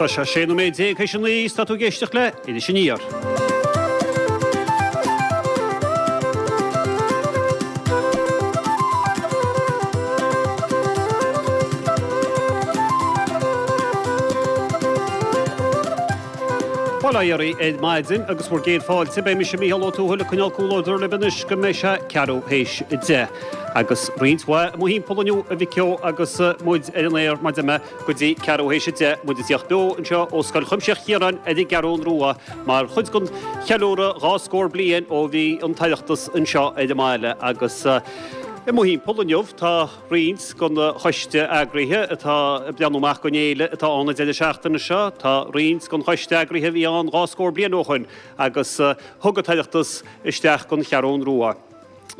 Tá sé 16 nóiméad théis a 9 is tá tú ag éisteacht le Iris Aniar. Bail ó Dhia oraibh ar maidin agus bhur gcéad fáilte. Beidh mise Mícheál Ó Tuathail ag coinneáil comhluadar libh anois go mbeidh sé ceathrú théis 10. Agus roinnt mhaith i mo thimpeall inniu a mhic Ó agus muid ar an aer mar a deir mé go dtí ceathrú théis 10, muid ag tíocht beo anseo ó Scoil Chuimsitheach Chiaráin ar an gCeathrún Rua mar chuid den cheiliúradh dhá scór bliain ó bhí an tOireachtas anseo ar an mbaile agus i mo thimpeall inniu tá roinnt den choiste eagraithe atá ag breathnú amach don fhéile atá ann an deireadh seachtaine seo. Tá roinnt den choiste eagraithe a bhí ann dhá scór bliain ó shoin agus thug an tOireachtas isteach don Cheathrún Rua.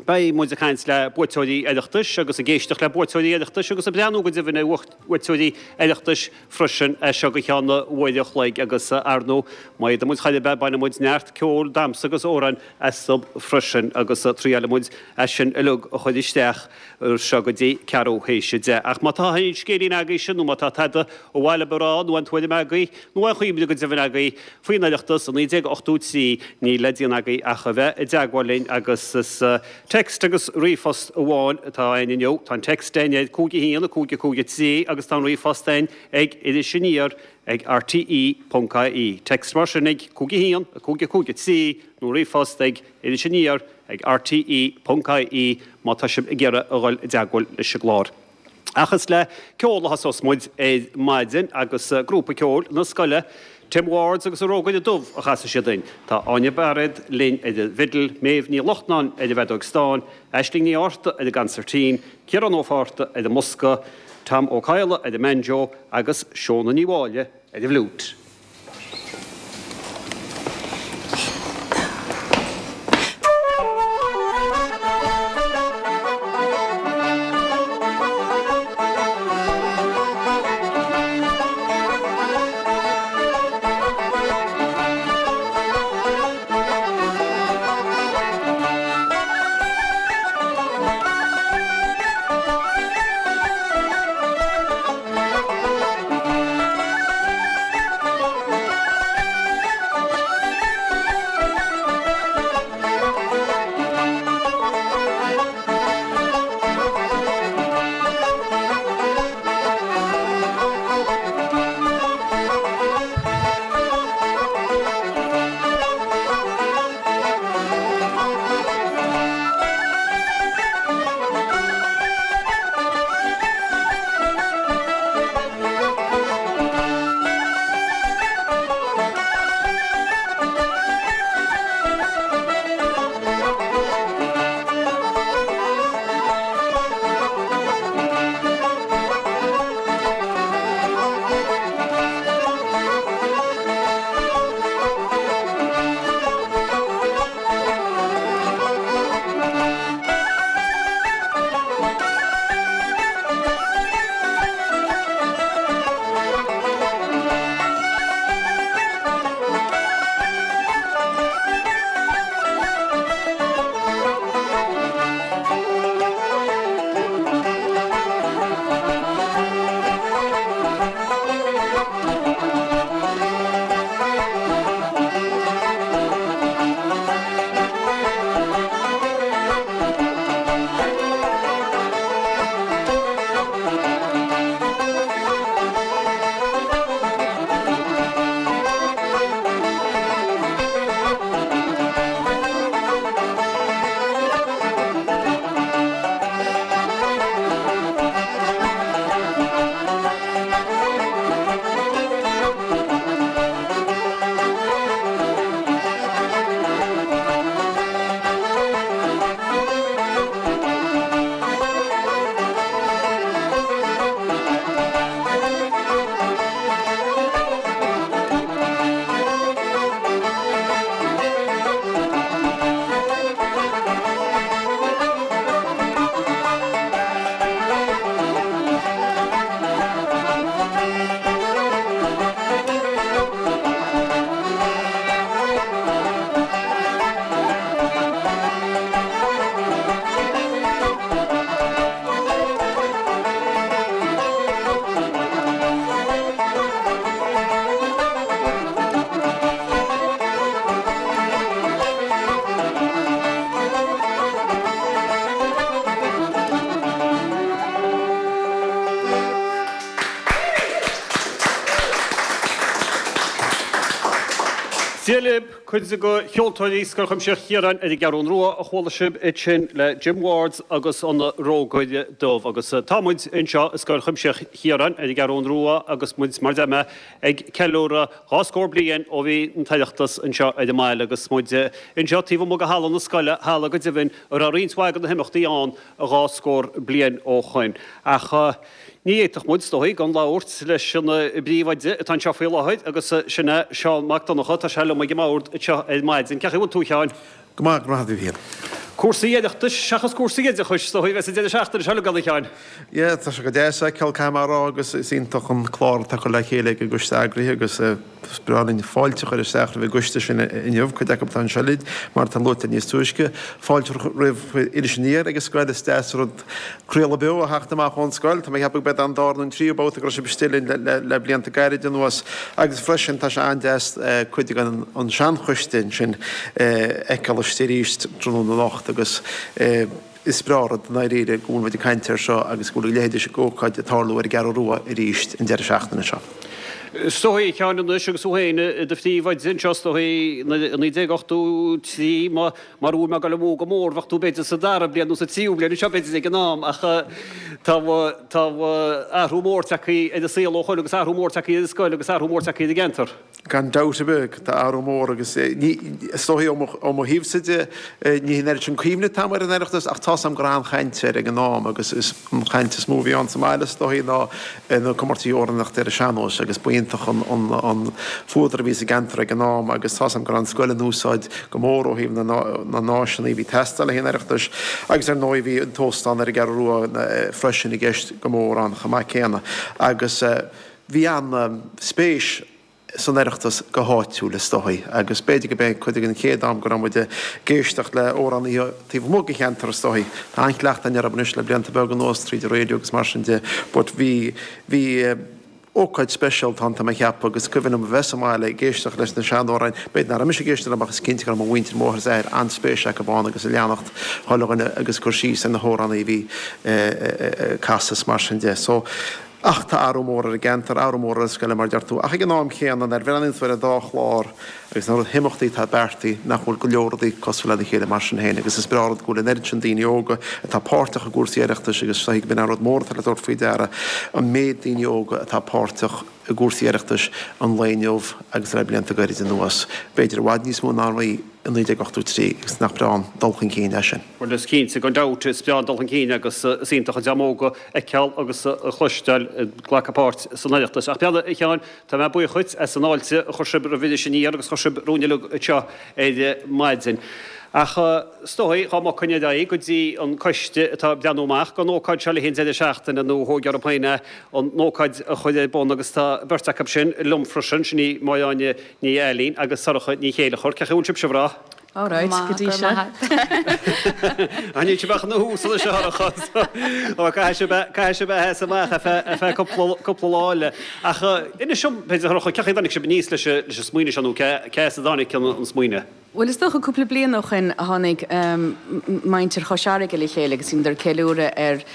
Beidh muid ag caint le buaiteoirí Oireachtais agus ag éisteacht le buaiteoirí Oireachtais agus ag breathnú go deimhin ar bhuaiteoirí Oireachtais freisin as seo go ceann uair a chloig agus ar ndóigh má fhéadann muid chor ar bith bainfidh muid neart ceoil, damhsa agus amhráin astu freisin agus triailfidh muid é sin uilig a chur isteach as seo go dtí ceathrú théis 10. Ach má tá aon scéilín agaibhse nó má tá tada ar mhaith libh a rá nó aon tuairim agaibh nó aon chuimhne go deimhin agaibh faoin Oireachtas i 1983 níl le déanamh agaibh ach a bheith i dteagmháil linn agus is text agus ríomhphost amháin atá againn inniu. Tá an text againn ar 5 1 5 5 3 agus tá an ríomhphost againn ag Iris Aniar ag rte ponc ie. Text mar sin ag 5 1 5 5 3 nó ríomhphost ag Iris Aniar ag rte ponc ie má tá sibh ag iarraidh a dhul i dteagmháil leis an gclár. Ach is le ceol a thosós muid ar maidin agus grúpa ceoil na scoile, Tim Wards agus an Rógaire Dubh a chasfaidh siad duinn. Tá Áine Bairéad linn ar an bhfidil, Méabh Ní Lachtnáin ar an bhfeadóig stáin, Aisling Ní Fhátharta ar an gconsairtín, Ciarán Ó Fátharta ar an mbosca, Tom Ó Cadhla ar an mbanjo agus Shóna Ní Mháille ar an bhfliúit. Dia libh, cuid de cheoltóirí Scoil Chuimsitheach Chiaráin ar an gCeathrún Rua a chuala sibh ansin le Jim Wards agus an Rógaire Dubh. Agus tá muid anseo i Scoil Chuimsitheach Chiaráin ar an gCeathrún Rua agus muid, mar a deir mé, ag ceiliúradh 20 scór bliain ó bhí an tOireachtas anseo ar an mbaile agus muid anseo taobh amuigh de halla na scoile, halla go deimhin a raibh roinnt mhaith de na himeachtaí ann 20 scór bliain ó shoin. Ach ní fhéadfadh muid, is dóigh, gan labhairt leis an bpríomhoide atá anseo faoi láthair agus sin é Seán Mac Donncha. Tá sé liom ag an mbord anseo ar maidin. Cén chaoi a bhfuil tú, a Sheáin? Go maith, go raibh maith agat, a Mhíchíl. Cúrsaí Oireachtais seachas cúrsaí oideachais, is dóigh, a bheas an deireadh seachtaine seo uilig ann, a Sheáin. Yeah, tá sé go deas a fheiceáil, caithfidh mé a rá, agus is iontach an clár atá curtha le chéile ag an gcoiste eagraithe agus is breá linn fáilte a chur isteach roimh an gcoiste sin inniu, cuid acu atá anseo linn, mar atá luaite níos túisce. Fáilte roimh Iris Aniar ag an scoil, is deas an rud craoladh beo a theacht amach ón scoil. Tá mé ag ceapadh gurb é an dara nó an tríú babhta go raibh sibh istigh linn le blianta gairid anuas. Agus freisin tá sé an-deas cuid den an seanchoiste ansin a fheiceáil istigh arís tráthnóna anocht agus is breá an rud i ndáiríre go bhfuil muid ag caint air seo agus go bhfuil a leithéid d'ócáid ag tarlú ar an gCeathrú Rua arís an deireadh seachtaine seo. Is dóigh, a Sheáin, anois agus tú féin i do phríomhoide anseo, is dóigh, i 1983, mura bhfuil mé ag dul amú go mór, bheadh tú b'fhéidir sa dara bliain nó sa tríú bliain anseo b'fhéidir ag an am, ach tá tá athrú mór tagtha ar an saol ó shoin agus athrú mór tagtha ar an scoil agus athrú mór tagtha ar an gceantar. Gan dabht ar bith, tá athrú mór agus ní, is dóigh ó mo thaobhsa de, ní hin oiread sin cuimhne atá agam ar an Oireachtas ach tá's agam go raibh an-chaint air ag an am agus is an chaint is mó a bhí ann sa mbaile is dóigh ná na comórtaisí amhránaíochta ar an sean-nós agus ba iontach an fuadar a bhí sa gceantar ag an am agus tá's agam go raibh an scoil in úsáid go mór ó thaobh na n-áiseanna a bhí ag teastáil le haghaidh an Oireachtais agus ar ndóigh bhí an t-óstán ar an gCeathrú Rua freisin i gceist go mór ann chomh maith céanna agus Bhí an-spéis san Oireachtas go háitiúil, is dóigh, agus b'fhéidir gurb é cuid den chéad am go raibh muid ag éisteacht le amhránaithe taobh amuigh den cheantar, is dóigh. Tá an-chleachtadh againn orthu anois le blianta beaga anuas tríd an raidió agus mar sin de, but bhí, bhí ócáid speisialta ann, tá mé ag ceapadh, agus is cuimhin liom a bheith sa mbaile ag éisteacht leis na sean-amhráin, b'fhéidir nach raibh mise ag éisteacht leo ach is cinnte go raibh mo mhuintir, mo mháthair is athair, an-spéis acu ann agus ag leanacht chuile dhuine agus ag cur síos ar na hamhránaithe a bhí ag casadh is mar sin de. So. Ach tá athrú mór ar an gceantar, athrú mór ar an scoil, mar a deir tú. Ach ag an am chéanna, nuair a bhreathnaíonn tú ar an dá chlár agus na himeachtaí atá beartaithe, nach bhfuil go leor rudaí cosúil lena chéile mar sin féin. Agus is breá an rud go bhfuil an oiread sin daoine óga atá páirteach i gcúrsaí Oireachtais agus is dóigh gurb in an rud mór atá le tabhairt faoi deara, an méid daoine óga atá páirteach i gcúrsaí Oireachtais an lae inniu agus le blianta gairid anuas. B'fhéidir i bhfad níos mó ná a bhí i 1983 agus nach breá an dul chun cinn é sin. Bhuel, is cinnte, gan dabht, is breá an dul chun cinn agus is iontach an dream óg a fheiceáil agus a chloisteáil ag glacadh páirt san Oireachtas. Ach breathnaigh, a Sheáin, tá mé buíoch dhuit as an fháilte a chuir sibh roimh Iris Aniar agus a chuir sibh romhainn uilig anseo ar maidin. Ach is dóigh, dhá mbogfainn ar aghaidh go dtí an coiste atá ag breathnú amach don ócáid seo le haghaidh an deireadh seachtaine nó a thóg orthu féin é an ócáid a chur ar bun agus tá beirt acu sin liom freisin, sin í Máire Áine Ní Ailín agus Sorcha Ní Chéilleachair. Cén chaoi a bhfuil sibhse, a mhná? All right, go dtí seo. Níl sibh ach ina thús anois, a Shorcha. Ó, caithfidh sibh a, caithfidh sibh a sheasamh amach ar feadh, ar feadh cúpla, cúpla lá eile. Ach inis dom, b'fhéidir, a Shorcha, cén chaoi a dtáinig sibh aníos leis an, leis an smaoineamh seo nó cé, cé as a dtáinig an, an smaoineamh? Bhuel, is dócha cúpla bliain ó shoin a tháinig muintir Chois Fharraige le chéile agus bhíodar ag ceiliúradh ar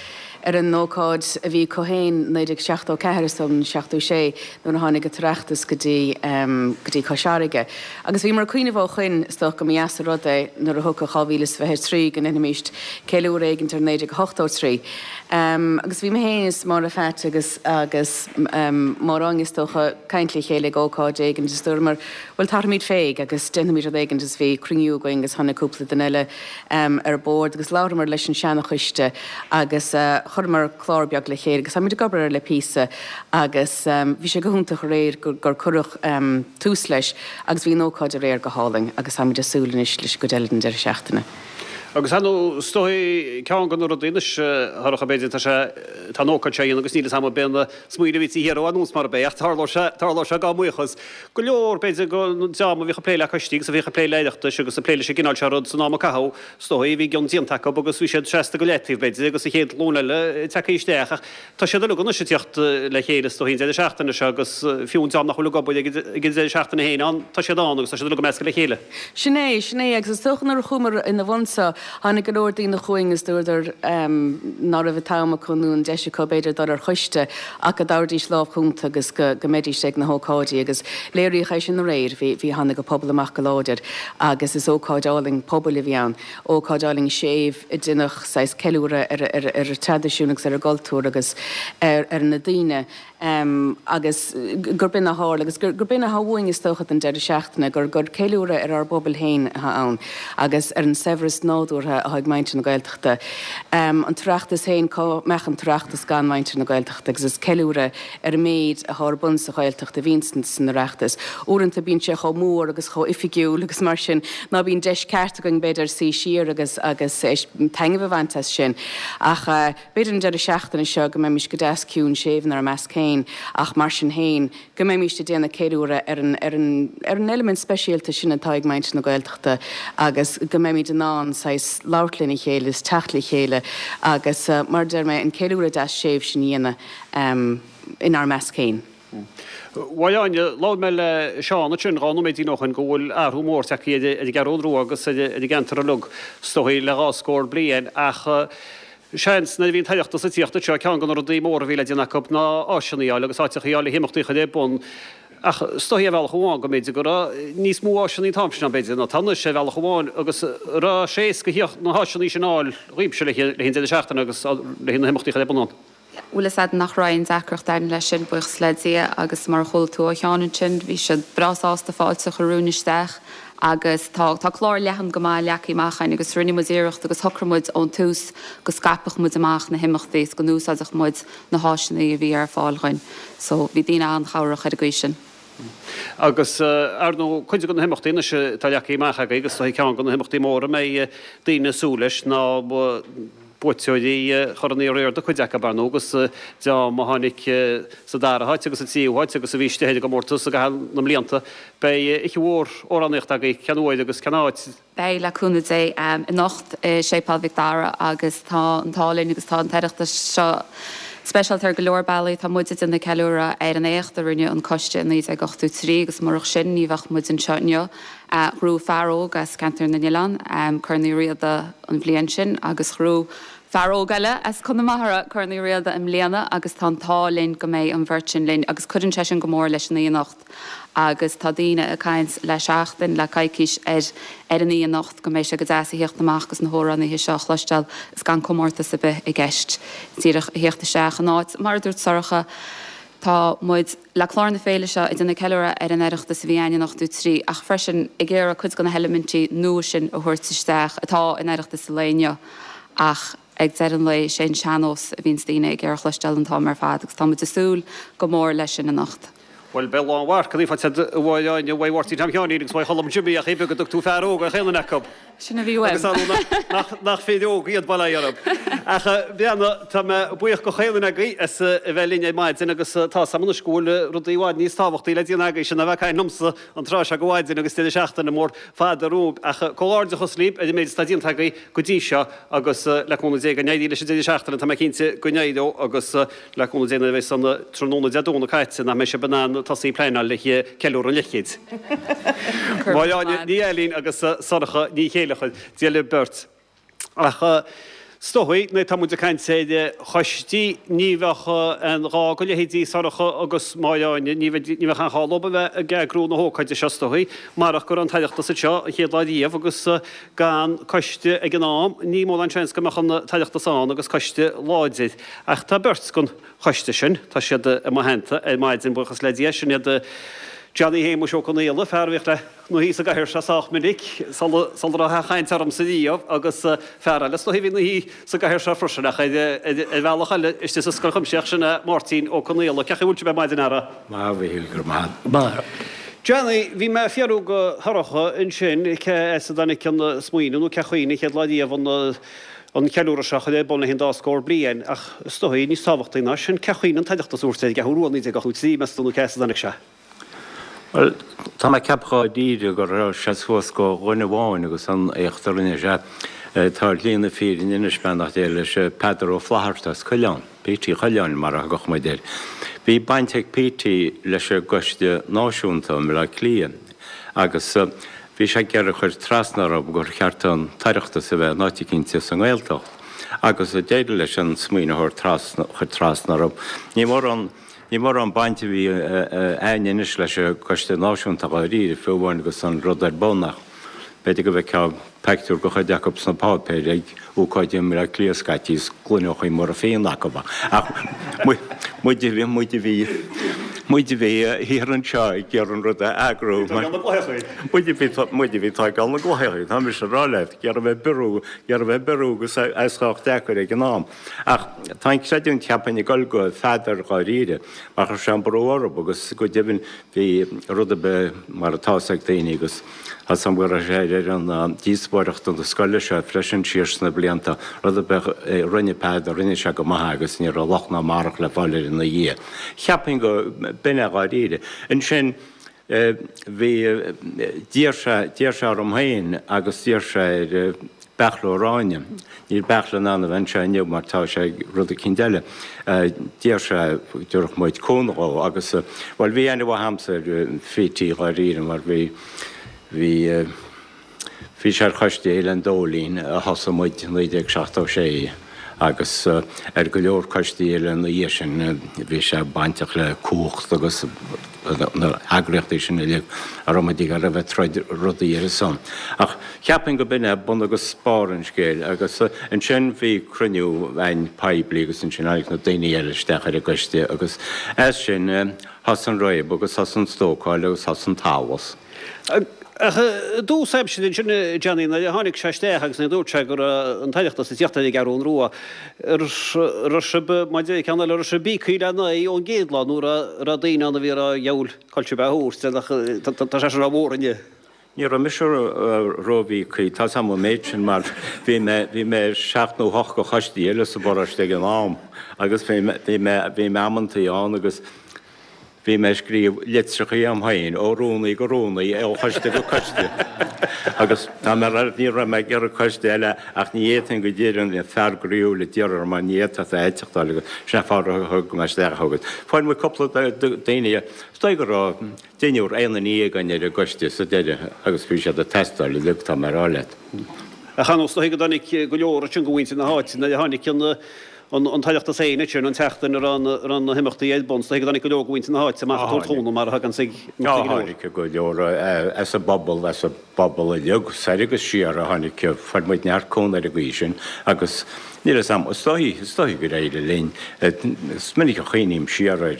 ar an ócáid a bhí acu féin, 1974 is dóigh liom, nó 76, nuair a tháinig an tOireachtas go dtí go dtí Cois Fharraige. Agus bhíomar ag cuimhneamh ó shoin, is dócha go mba dheas an rud é nuair a thiocfadh 2023 go ndéanfaimíst ceiliúradh éigint ar 1983. Agus bhí mé féin is Máire Pheait agus agus Máire Áine is dócha ag caint le chéile ag ócáid éigin agus dúramar, bhuel tabharfaimid fé agus déanfaimid rud éigin agus bhí cruinniú againn agus tháinig cúpla duine eile ar bord agus labhramar leis an seana-choiste agus chuireamar clár beag le chéile agus táimid ag obair air le píosa agus bhí sé go hiontach aréir gur cuireadh tús leis agus bhí an ócáid aréir go hálainn agus táimid ag súil anois leis an gcuid eile den deireadh seachtaine. Agus ar ndóigh, is dóigh, ceann de na rudaí anois, a Shorcha, b'fhéidir, tá sé, tá an ócáid seo á dhéanamh agus níl fhios a'm ab é an smaoineamh a bhí taobh thiar de anuas mar ab é ach tarlóidh sé, tarlóidh sé gan mbuíochas. Go leor, b'fhéidir, den dream a bhíodh ag plé le coistí agus a bhíodh ag plé le Oireachtais agus ag plé leis an gcineál seo rud san am a caitheadh, is dóigh, bhí a gcion déanta acu agus bhí siad seasta go leataobh, b'fhéidir, agus an chéad ghlúin eile tagtha isteach ach tá siad uilig anois ag tíocht le chéile, is dóigh, an deireadh seachtaine seo agus fiú an dream nach bhfuil ag obair ag an deireadh seachtaine féin ann, tá siad ann agus tá siad uilig ag meascadh le chéile. Sin é, sin é agus is dócha nuair a chuamar ina bhun seo. Tháinig go leor daoine chugainn is dúradar ná raibh an t-am acu nó an deis acu b'fhéidir dul ar choiste ach go dtabharfaidís lámh chúnta agus go mbeidís ag na hócáidí agus léiríodh é sin aréir. Bhí, bhí, tháinig an pobal amach go láidir agus is ócáid álainn pobail a bhí ann, ócáid álainn séimh a dhéanfadh saghas ceiliúradh ar, ar, ar an traidisiún agus ar an gcultúr agus ar, ar na daoine. agus gurb in a tharla agus gurb in atá uainn is dócha don deireadh seachtaine, gur gur ceiliúradh ar ár bpobal féin atá ann agus ar an saibhreas nádúrtha atá ag muintir na Gaeltachta. An tOireachtas féin, cá mbeadh an tOireachtas gan muintir na Gaeltachta agus is ceiliúradh ar an méid atá ar bun sa Ghaeltacht a bhíonn san Oireachtas. Uaireanta bíonn sé chomh mór agus chomh oifigiúil agus mar sin ná bíonn deis ceart againn b'fhéidir suí siar agus agus taitneamh a bhaint as sin ach, B'fhéidir an deireadh seachtaine seo go mbeimis go deas ciúin séimh inár measc féin ach mar sin féin go mbeimis ag déanamh ceiliúradh ar an ar an ar an eilimint speisialta sin atá ag muintir na Gaeltachta agus go mbeimid in ann saghas labhairt lena chéile is teacht le chéile agus mar a deir mé an ceiliúradh deas séimh sin a dhéanamh inár measc féin. Bhuel Áine, labhair mé le Seán ansin 12 nóiméidín ó shin go bhfuil athrú mór tagtha ar an gCeathrú Rua agus ar an gceantar uilig is dóigh le dhá scór bliain ach seans nuair a bhí an tOireachtas ag tíocht anseo ceann de na rudaí móra a bhí le déanamh acu ná áiseanna a fháil agus áiteacha a fháil le himeachtaí a chur ar bun ach is dóigh ar bhealach amháin go mb'fhéidir go raibh níos mó áiseanna an t-am sin ann b'fhéidir ná tá anois ar bhealach amháin agus raibh sé éasca na háiseanna sin a fháil dhaoibhse le haghaidh an deireadh seachtaine agus le haghaidh na himeachtaí a chur ar bun ann. Bhuel is ea nach raibh aon deacracht againn leis sin, buíochas le Dia, agus mar a chuala tú ó Sheán ansin, bhí siad breá sásta fáilte a chur romhainn isteach agus tá tá clár leathan go maith leagtha amach againn agus rinne muid iarracht agus shocraigh muid ón tús go scaipfeadh muid amach na himeachtaí is go n-úsáidfeadh muid na háiseanna a bhí ar fáil dhuinn. So bhí daoine an-chabhrach ar an gcaoi sin. Agus, ar ndóigh, cuid de na himeachtaí anois atá leagtha amach agaibh agus is dóigh ceann de na himeachtaí móra a mbeidh daoine ag súil leis ná buaiteoirí Chorn Uí Riada, cuid acu, ar ndóigh, agus dream a tháinig sa dara háit agus sa tríú háit agus a bhí istigh ar an gcomórtas i gcaitheamh na mblianta. Beidh oíche mhór amhránaíochta agaibh, cén uair agus cén áit? Beidh, le cúnamh Dé, anocht i Séipéal Mhic Dara agus tá an t-ádh linn agus tá an tOireachtas seo speisialta ar go leor bealaí. Tá muid ag déanamh ceiliúradh ar an éacht a rinne an coiste i 1983 agus murach sin ní bheadh muid anseo inniu. Ghnóthaigh fear óg as Ceantar na nOileán Corn Uí Riada an bhliain sin agus ghnóthaigh fear óg eile as Conamara Corn Uí Riada i mbliana agus tá an t-ádh linn go mbeidh an bheirt sin linn agus cuireann sé sin go mór leis an oíche anocht agus tá daoine ag caint le seachtain, le coicís ar ar an oíche anocht go mbeidh sé go deas a thíocht amach agus na hamhránaithe seo a chloisteáil is gan comórtas ar bith i gceist, díreach a thíocht isteach in áit, mar a dúirt Sorcha, tá muid. Le clár na féile seo ag déanamh ceiliúradh ar an Oireachtas a bhí againn in 83 ach freisin ag iarraidh cuid de na heilimintí nua sin a thabhairt isteach atá in Oireachtas an lae inniu ach ag deireadh an lae is é an sean-nós a bhíonns daoine ag iarraidh a chloisteáil an t-am ar fad agus tá muid ag súil go mór leis sin anocht. Bhuel, beidh lánmharcanna faighte agat a Mháire Áine, uaidh Mháirtín Tom Sheáinín agus uaidh Cholm Jimmy ach é beag go dtug tú fear óg ar chaon duine acu. Sin a bhí uaim. Agus ar ndóigh nach fir óga iad, bail ó Dhia orthu. Ach breathnaigh, tá mé buíoch go chaon duine agaibh as a bheith linn ar maidin agus tá 's a'm anois go bhfuil rudaí i bhfad níos tábhachtaí le déanamh agaibhse ná bheith ag caint liomsa an tráth seo de mhaidin agus deireadh seachtaine mór fada romhaibh. Ach comhghairdeachas libh ar an méid atá déanta agaibh go dtí seo agus le cúnamh Dé go n-éirí leis an deireadh seachtaine, tá mé cinnte go n-éireoidh agus Le cúnamh Dé nuair a bheas an tráthnóna Dé Domhnaigh caite nach mbeidh sibh in ann tosaí ag pleanáil le ceiliúradh an leathchéid. Máire Áine Ní Ailín agus Sorcha Ní Chéileachair, Dia libh beirt. Ach is dóigh, nuair atá muid ag caint ar choistí, ní bheadh aon ghá go leithéidí Sorcha agus Máire Áine, ní bheadh aon ghá leo a bheith ag eagrú na hócáide seo is dóigh, marach go raibh an tOireachtas anseo an chéad lá riamh agus gan coiste ag an am, ní mórán seans go mbeadh an tOireachtas ann agus coiste láidir. Ach tá beirt den choiste sin, tá siad i mo theannta ar maidin, buíochas le Dia, sin iad Johnny Shéamuis Ó Conaola, fear a bhíodh ina shuí sa gcathaoir seo sách minic sula raibh aon chaint ormsa riamh, agus fear eile is dóigh a bhí ina shuí sa gcathaoir seo freisin, ach ar bhealach eile istigh sa Scoil Chuimsitheach, sin é Máirtín Ó Conaola. Cén chaoi a bhfuil sibh ar maidin, a fheara? Maith, a Mhíchíl, go raibh maith agat. Johnny, bhí mé ag fiafraí de Shorcha ansin cé as a dtáinig an smaoineamh nó cén chaoi an chéad lá riamh an an ceiliúradh seo a chur ar bun le haghaidh an dá scór bliain, ach is dóigh, níos tábhachtaí ná sin, cén chaoi an tOireachtas a thabhairt ar an gCeathrú Rua 1983, meas tú, nó cé as a dtáinig sé? Bhuel, tá mé ag ceapadh dháiríre go raibh sé suas go dhuine amháin agus an éacht a rinne sé, tá ar shlí na fírinne anois, beannacht Dé leis, Peadar Ó Flatharta as Coileán, Petey Choileáin mar a thugadh muid air. Bhí baint ag Petey leis an gCoiste Náisiúnta i mBleá Cliath agus. Bhí sé ag iarraidh cur trasna orthu gur cheart an tOireachtas a bheith in áit eicínt sa nGaeltacht agus d'éirigh leis an smaoineamh a chur trasna orthu. Ní mórán ní mórán baint a bhí a'ainn anois leis an gCoiste Náisiúnta dháiríre, fiú amháin agus an rud ar bun ach b'fhéidir go bhfeicfeá peictiúr de chuid acu sna páipéir ag ócáid i mBleá Cliath scaití is gloineochaí móra fíon acu ach muid a bhí muid a bhí muid a bhí thiar anseo ag iarraidh an rud a eagrú muid a bhí muid a bhí ag tógáil na gcloicheachaí tá mise ag rá leat ag iarraidh bheith ag brú ag iarraidh bheith ag brú agus é sách deacair ag an am. Ach tá an chreidiúint cheapfainn ag dul go Pheadar dháiríre mar chuir sé an brú orthu agus go deimhin bhí rud ar bith mar atá fhios ag daoine agus tá 's a'm go raibh sé ar an díospóireacht na scoile seo freisin siar sna blianta, rud ar bith a rinne Peadar rinne sé go maith agus ní raibh locht ná mairg le fáil air ina dhiaidh. Cheapfainn go b'in é dháiríre. Ansin Bhí, d'iarr sé, d'iarr sé orm féin agus d'iarr sé ar Beartla Ó Ráinne, níl Beartla in ann a bheith anseo inniu mar tá sé ag rud eicínt eile, d'iarr sé go dtabharfadh muid cúnamh dhó agus, bhuel, bhí aithne mhaith a'msa ar Phítí dháiríre mar bhí, bhí, Bhí sé ar Choiste Fhéile an Dóilín a thosaigh muid i 1976 agus ar go leor coistí eile ina dhiaidh sin. Bhí sé bainteach le Cumhacht agus na heagraíochtaí sin uilig a raibh muid ag iarraidh a bheith ag troid rudaí ar a son. Ach cheapfainn go b'in é bun agus barr an scéil agus ansin bhí cruinniú againn poiblí agus ansin tháinig na daoine eile isteach ar an gcoiste agus as sin thosaigh an réabadh agus thosaigh an stócáil agus thosaigh an t-allas. Ach i dtús aimsire ansin, a Johnny, nuair a tháinig sé isteach agus nuair a dúirt sé go raibh an tOireachtas ag tíocht ar an gCeathrú Rua, raibh sibh, mar a deir ceann eile, raibh sibh íoctha lena aghaidh ón gcéad lá nó raibh raibh daoine ann a bhí ag rá dheabhail cá bhfuil sibh á thabhairt, tá sé sin rómhór inniu. Ní raibh mise rómhíocaí, tá 's a'm an méid sin mar bhí mé, bhí mé ar sheacht nó hocht de choistí eile sa bparóiste ag an am agus bhí mé, bhí mé, bhí mé amantaí ann agus, Bhí mé ag scríobh litreachaí a'm féin, ó rúnaí go rúnaí, ó choiste go coiste. Agus tá mé ar, ní raibh mé ag iarraidh coiste eile ach ní fhéadfainn go díreach, an fear groíúil a d'iarr orm mar ní fhéadfadh a eiteachtáil agus sin é fáth ar thug mé isteach agus fuair muid cúpla daoine, is dóigh go raibh deichniúr aon ní againn ar an gcoiste sa deireadh agus bhí siad ag teastáil uilig, tá mé ag rá leat. Ach ar ndóigh is dóigh go dtáinig go leor ansin de mhuintir na háite nuair a tháinig an an tOireachtas féin ansin, an tseachtain a raibh na himeachtaí ar bun, is dóigh go dtáinig go leor de mhuintir na háite amach ag tabhairt cúnamh mar a thaganns ag imeachtaí go leor. Tháinig go leor as an bpobal, as an bpobal uilig, soir agus siar a tháinig, fuair muid neart cúnamh ar an gcaoi sin agus níl fhios a'm, is dóigh, is dóigh gur éirigh linn. Is minic a chuimhním siar ar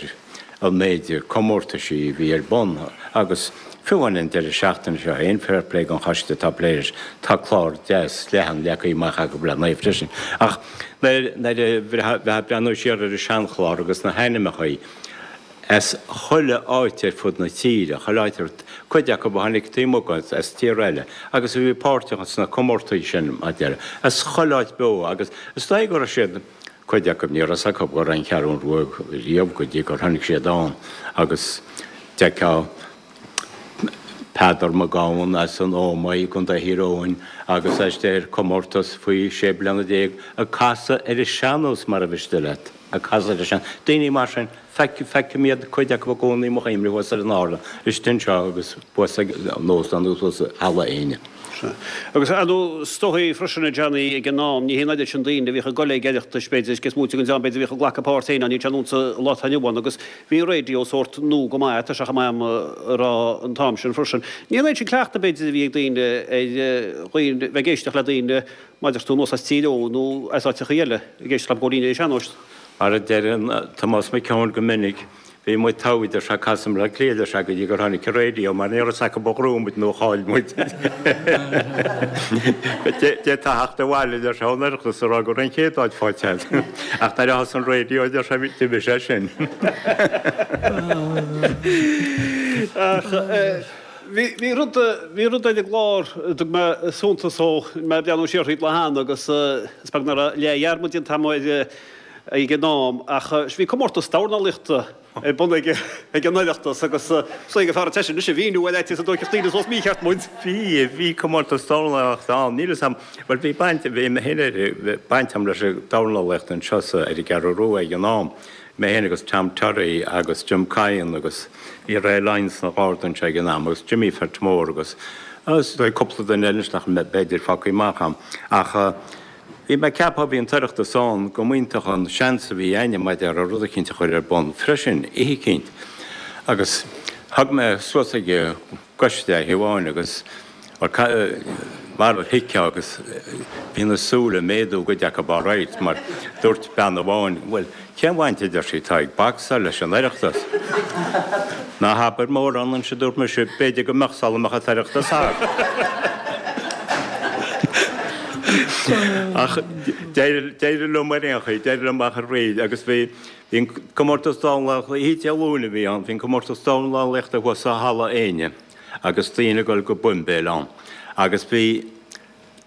an méid comórtaisí a bhí ar bun agus fiú amháin an deireadh seachtaine seo féin, fair play don choiste atá ag plé leis, tá clár deas leathan leagtha amach acu le n-aghaidh freisin. Ach nuair a bheifeá ag breathnú siar ar an seanchlár agus na hainmneacha as chuile áit ar fud na tíre, chuile áit ar, cuid acu a tháinig taobh amuigh as tíortha eile agus a bhí páirteach sna comórtaí sin, mar a déarfá, as chuile áit beo agus is dóigh go raibh siad, cuid acu, ní raibh fhios acu go raibh an Cheathrú Rua riamh go dtí gur tháinig siad ann agus d'fheicfeá Peadar Mac Gabhann as an Ómaigh i gContae Thír Eoghain agus é istigh ar comórtas faoi 16 bliana ag casadh ar an sean-nós mara mhiste leat, ag casadh ar an sean. Daoine mar sin, feicim iad, cuid acu i gcónaí i mo chuimhne thuas ar an ardán, istigh anseo agus thuas ag an óstán agus thuas i Halla Éinne. Sea. Agus ar ndóigh, is dóigh freisin, a Johnny, ag an am, ní hé an oiread sin daoine a bhíodh ag goil ag Oireachtais, b'fhéidir, is smaointe den dream, b'fhéidir, a bhíodh ag glacadh páirt féin ann, níl sé ar nós an lá atá inniu ann, agus Bhí an raidió sórt nua go maith, tá sé chomh maith agam a rá an t-am sin freisin. Ní an oiread sin cleachtaidh b'fhéidir a bhí ag daoine ar dhaoine, bheith ag éisteacht le daoine mar a deir tú anuas as Tír Eoghain nó as áiteachaí eile ag éisteacht leo ag gabháil fhoinn ar an sean-nós. Mar a deireann Tomás Mac Eoin go minic, bhí muid togha deir sé ag casadh i mBleá Cliath deir sé go dtí gur tháinig an raidió mar ní raibh fhios acu ar ghnóthaigh muid nó ar chaill muid. D'fhéadfá theacht abhaile deir sé ón Oireachtas a rá go raibh an chéad áit faighte agat. Ach nuair a thosaigh an raidió deir sé d'imigh sé sin. Ach bhí rud, bhí rud ar an gclár a dtug mé suntas dó, mé ag breathnú siar thríd lá cheana agus is beag nach raibh leathdhearmad déanta agam air ag an am, ach bhí comórtas dornálaíochta ar bun ag an Oireachtas agus is dóigh gur fearr duit é sin anois a mhíniú ar fhaitíos go dtóigfeadh daoine suas mícheart muid. Bhí, bhí comórtas dornálaíochta ann, níl fhios a'm, bhuel bhí baint, bhí mé féin ar, baint a'm leis an dornálaíocht anseo sa, ar an gCeathrú Rua ag an am, mé féin agus Tom Terry agus Jim Kyan agus bhí Ray Lyons sna Gardaí anseo ag an am agus Jimmy Phert Mór agus. Agus is dóigh cúpla duine eile anois nach mbeadh b'fhéidir fágtha amach ann. Ach bhí mé ag ceapadh, bhí an tOireachtas ann, go mb'iontach an seans a bhí a'inne mar a déarfá rud eicínt a chur ar bun freisin, oíche eicínt. Agus thug mé suas ag an gcoiste é oíche amháin agus mar a thuigfeá agus bhí na súile ag méadú i gcuid acu alright mar dúirt bean amháin, bhuel, cén bhaint a deir sí atá ag bacsáil leis an Oireachtas? Ná habair mórán anois a dúirt mise, b'fhéidir go mbeadh sula mbeadh an tOireachtas thart. Ach d'éirigh liom ar aon chaoi, d'éirigh liom ach oiread agus bhí bhí an comórtas dornálaíochta, oíche Dé Luain a bhí ann, bhí an comórtas dornálaíochta thuas sa Halla Éinne. agus daoine ag dul go boimbéil ann. Agus bhí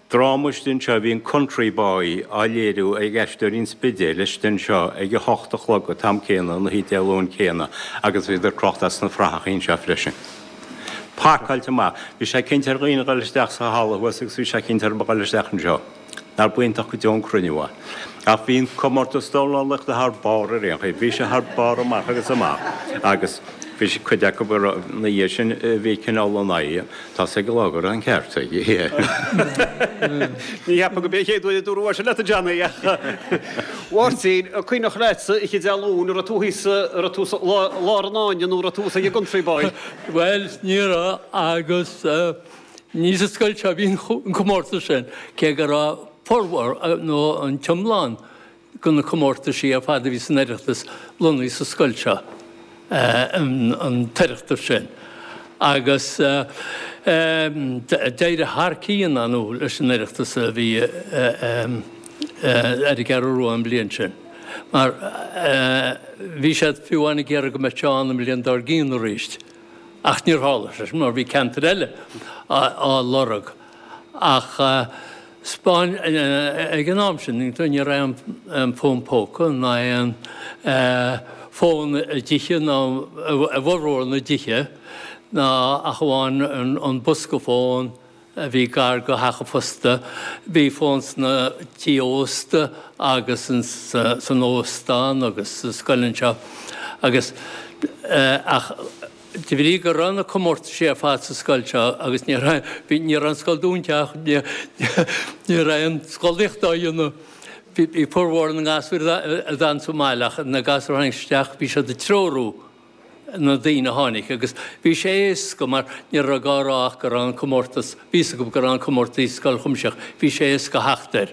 dráma istigh anseo, bhí an Country Boy á léiriú ag Aisteoirí an Spidéil istigh anseo ag a hocht a chlog an t-am céanna an oíche Dé Luain céanna agus bhíodar crochta as na frathachaí anseo freisin. Pacáilte amach. Bhí sé cinnte ar dhaoine a dhul isteach sa halla thuas agus bhí sé cinnte orthu a dhul isteach anseo. Nár b'iontach go deo an cruinniú é. Ach bhí an comórtas dornálaíochta thar barr ar aon chaoi. Bhí sé thar barr amach agus amach. Agus bhí cuid acu ina dhiaidh sin a bhí cineál in aghaidh. Tá's ag an lá go raibh an ceart aige. Ní cheapaim gurb é an chéad uair a dúradh é sin leat, a Johnny, ach a Mháirtín, an cuimhneach leatsa oíche Dé Luain, an raibh tú thíos, an raibh tú sa lár an fháinne nó an raibh tú ag an gCountry Boy? Bhuel, ní raibh agus Ní sa scoil seo a bhí an comórtas sin, cé go raibh formhór, nó an t-iomlán, de na comórtaisí ar fad a bhí san Oireachtas lonnaithe sa scoil seo, an tOireachtas sin. Agus d'éirigh thar cionn, ar ndóigh, leis an Oireachtas a bhí ar an gCeathrú Rua an bhliain sin, mar bhí siad fiú amháin ag iarraidh go mbeadh sé ann an bhliain dár gcionn arís. Ach níor tharla sé sin mar bhí ceantair eile á lorg. Ach 'spáin, ag an am sin, ní raibh aon fón póca ná aon fón i dtithe ná i bhformhór na dtithe ná ach amháin an bosca fóin a bhí gar do theach an phosta. Bhí fón sna tithe ósta agus san óstán agus sa scoil anseo agus ach de bhrí go raibh na comórtaisí ar fad sa scoil seo agus ní raibh, bhí, ní raibh an scoil dúnta ach ní, ní raibh aon scolaíocht á dhéanamh. Bhí, bhí formhór na ngasúr a d'fhan sa mbaile ach na gasúir a tháinig isteach bhí siad ag treorú na daoine a tháinig agus bhí sé éasca mar ní raibh gá a rá ach go raibh an comórtas, bhí fhios acu go raibh an comórtas i Scoil Chuimsitheach, bhí sé éasca theacht air.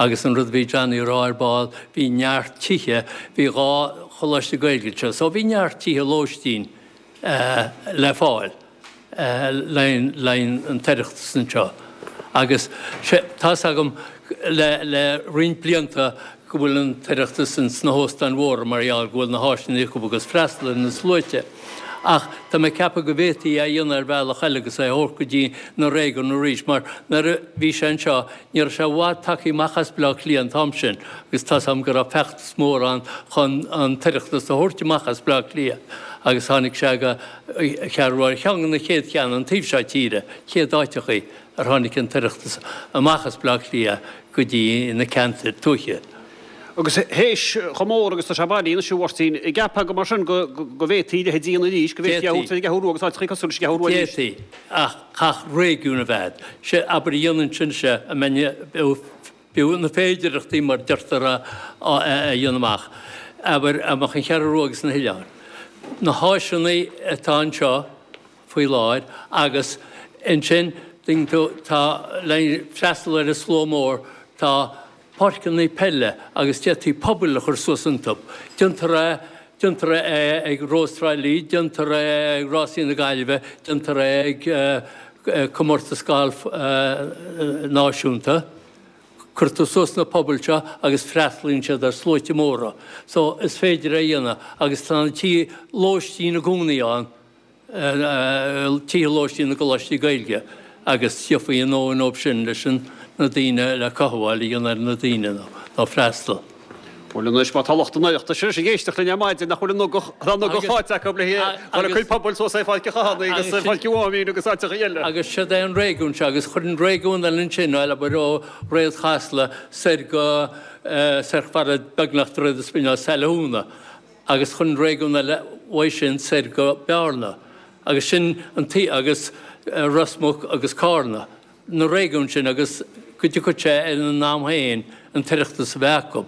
Agus an rud a bhí Johnny a rá ar ball, bhí neart tithe, bhí dhá choláiste Gaeilge anseo so bhí neart tithe lóistín le fáil. le haghaidh an tOireachtas anseo agus tá's agam le roinnt blianta go bhfuil an tOireachtas ins na hóstáin mhóra mar gheall go bhfuil na háiseanna acu agus freastal ar na sluaite. Ach tá mé ag ceapadh go bhféadfaí é a dhéanamh ar bhealach eile agus é a thabhairt go dtí na réigiúin arís mar nuair a bhí sé anseo ní raibh sé i bhfad tagtha amach as Baile Átha Cliath an t-am sin agus tá's agam go raibh feachtas mór ann chun an tOireachtas a thabhairt amach as Baile Átha Cliath agus tháinig sé go Ceathrú Rua ar cheann de na chéad cheanna an taobh seo tíre, chéad áiteachaí ar tháinig an tOireachtas amach as Baile Átha Cliath go dtí na ceantair tuaithe. Agus théis chomh mór agus tá sé bailithe anois, a Mháirtín, an gceapfá go mar sin go bhféadfaí a leithéid a dhéanamh arís, go bhféadfaí a thabhairt ar an gCeathrú Rua agus áiteachaí cosúil leis an gCeathrú Rua arís? D'fhéadfaí, ach chaithfeadh réigiún a bheith. Sé, abair, a dhéanann sin, sé, a mbeinn, B'fhiú na féidearthachtaí mar deirtear a dhéanamh amach, abair, amach an Cheathrú Rua agus na hoileáin. Na háiseanna atá anseo faoi láthair agus ansin tuigeann tú tá le freastal ar an slua mór tá páirceanna peile agus d'fhéadfaí pubaill a chur suas iontu. Déantar é déantar é ag Rós Trá Lí, déantar é ag Rásaí na Gaillimhe, déantar é ag comórtas gailf náisiúnta. Cuirtear suas na pubaill seo agus freastalaíonn siad ar sluaite móra. So is féidir é a dhéanamh agus tá na tithe lóistín i gcónaí ann, tithe lóistín na gcoláistí Gaeilge agus gheofaí a ndóthain dóibh sin leis na daoine le cothabháil a dhéanamh ar na daoine nó freastal. Bhuel anois, má tá lucht an Oireachtais anois ag éisteacht linn ar maidin, nach bhfuil an ugach, tá an ugach faighte acu le dhul ag cur pubaill suas ar Pháirc an Chathánaigh agus ar Pháirc Mháimín agus áiteacha eile. Agus siod é an réigiún seo, agus chuir an réigiún eile ansin, bhuel, abair ó Dhroichead Chasla soir go, soir chomh fada beagnach Droichead an Spidéil, Saile Thúna, agus chuir an réigiún eile uaidh sin soir go Bearna. Agus sin an taobh, agus. Ros Muc agus Cárna, na réigiúin sin agus go dtiocfadh sé ar an am féin an tOireachtas a bheith acu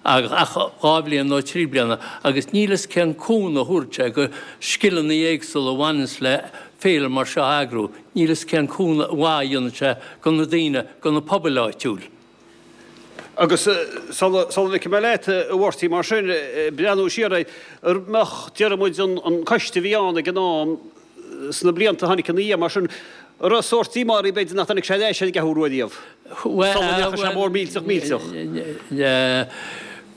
ach 2 bhliain nó 3 bliana agus níl fhios cén cúnamh a thabharfadh sé go scileanna éagsúla a bhaineanns le féile mar seo a eagrú, níl fhios cén cúnamh mhaith a dhéanfadh sé go na daoine, go na pobail áitiúil. Agus sula ligfidh mé leat, a Mháirtín, mar sin, breathnú siar air, an mbeadh, déarfaidh muid, an coiste a bhí ann ag an am, sna blianta a tháinig ina dhiaidh, mar sin, an raibh sórt díomá oraibh, b'fhéidir, nach dtáinig sé ar ais ar an gCeathrú Rua riamh, sula ndeachaigh sé mór millteach millteach?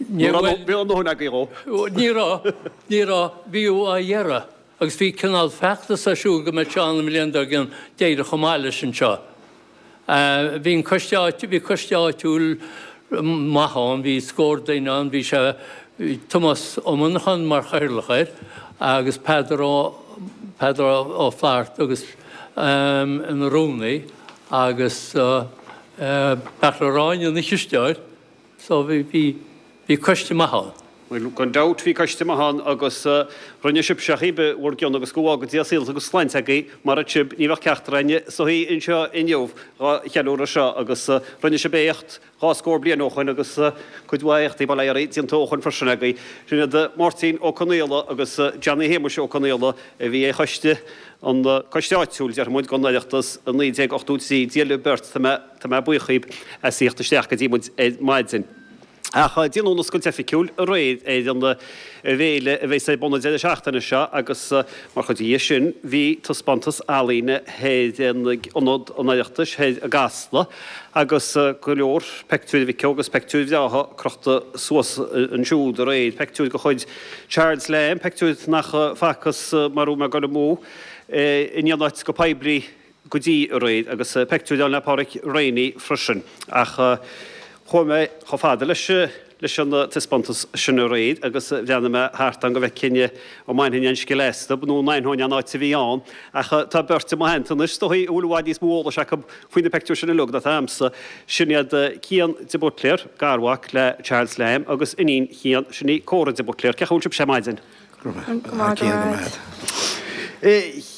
Ní raibh a ndóthain agaibh dhó. Ní raibh, ní raibh, bhí á iarraidh agus bhí cineál feachtas ar siúl go mbeadh sé ann an bhliain dár gcionn, d'éirigh chomh maith leis anseo. Bhí an coiste áit, bhí coiste áitiúil maith ann, bhí scór duine ann, bhí sé, bhí Tomás Ó Monacháin mar chathaoirleach air agus Peadar Ó, Peadar Ó Flatharta agus ina rúnaí agus Beartla Ráinne ina chisteoir. So bhí, bhí, bhí coiste maith ann. Bhuel, gan dabht bhí coiste maith ann agus rinne sibhse cibé bhur gcion agus go bhfága Dia saol agus sláinte agaibh mara raibh sibh, ní bheadh ceachtar againne sa shuí anseo inniu dhá cheiliúradh seo agus rinne sibh éacht dhá scór bliain ó shoin agus cuid mhaith éachtaí, bail ó Dhia oraibh, déanta ó shoin freisin agaibh. Sin iad Máirtín Ó Conaola agus Johnny Shéamuis Ó Conaola a bhí ar choiste, an coiste áitiúil, déarfaidh muid, den Oireachtas i 1983. Dia libh beirt, tá mé. Tá mé buíoch dhíbh as theacht isteach go dtí muid ar maidin. Ach déanadh an oscailt oifigiúil aréir ar an bhféile a bheas ar bun an deireadh seachtaine seo agus mar chuid dhe sin bhí taispeántas ealaíne thoir in Ionad an Oireachtais thoir i gCasla agus go leor peictiúir a Mhic Ó agus peictiúir bhreátha crochta suas ansiúd aréir. Peictiúir de chuid Charles Lamb, peictiúir nach facthas mara bhfuil mé ag dul amú in aon áit go poiblí go dtí aréir, agus peictiúir ann le Pádraic Reaney freisin. Ach chuaigh mé chomh fada leis leis an taispeántas sin aréir agus bhreathnaigh mé thart ann go bhfeicfinn an mbainfinn aon scil astu nó an aithneoinn an áit a bhí ann. Ach tá beirt i mo theannta anois, is dóigh, a bhfuil i bhfad níos mó eolais acu faoi na peictiúir sin uilig ná atá a'msa. Sin iad Cian de Buitléar, garmhac le Charles Lamb, agus iníon Chian, sin í Córa de Buitléar. Cén chaoi a bhfuil sibhse ar maidin? Go maith, go maith.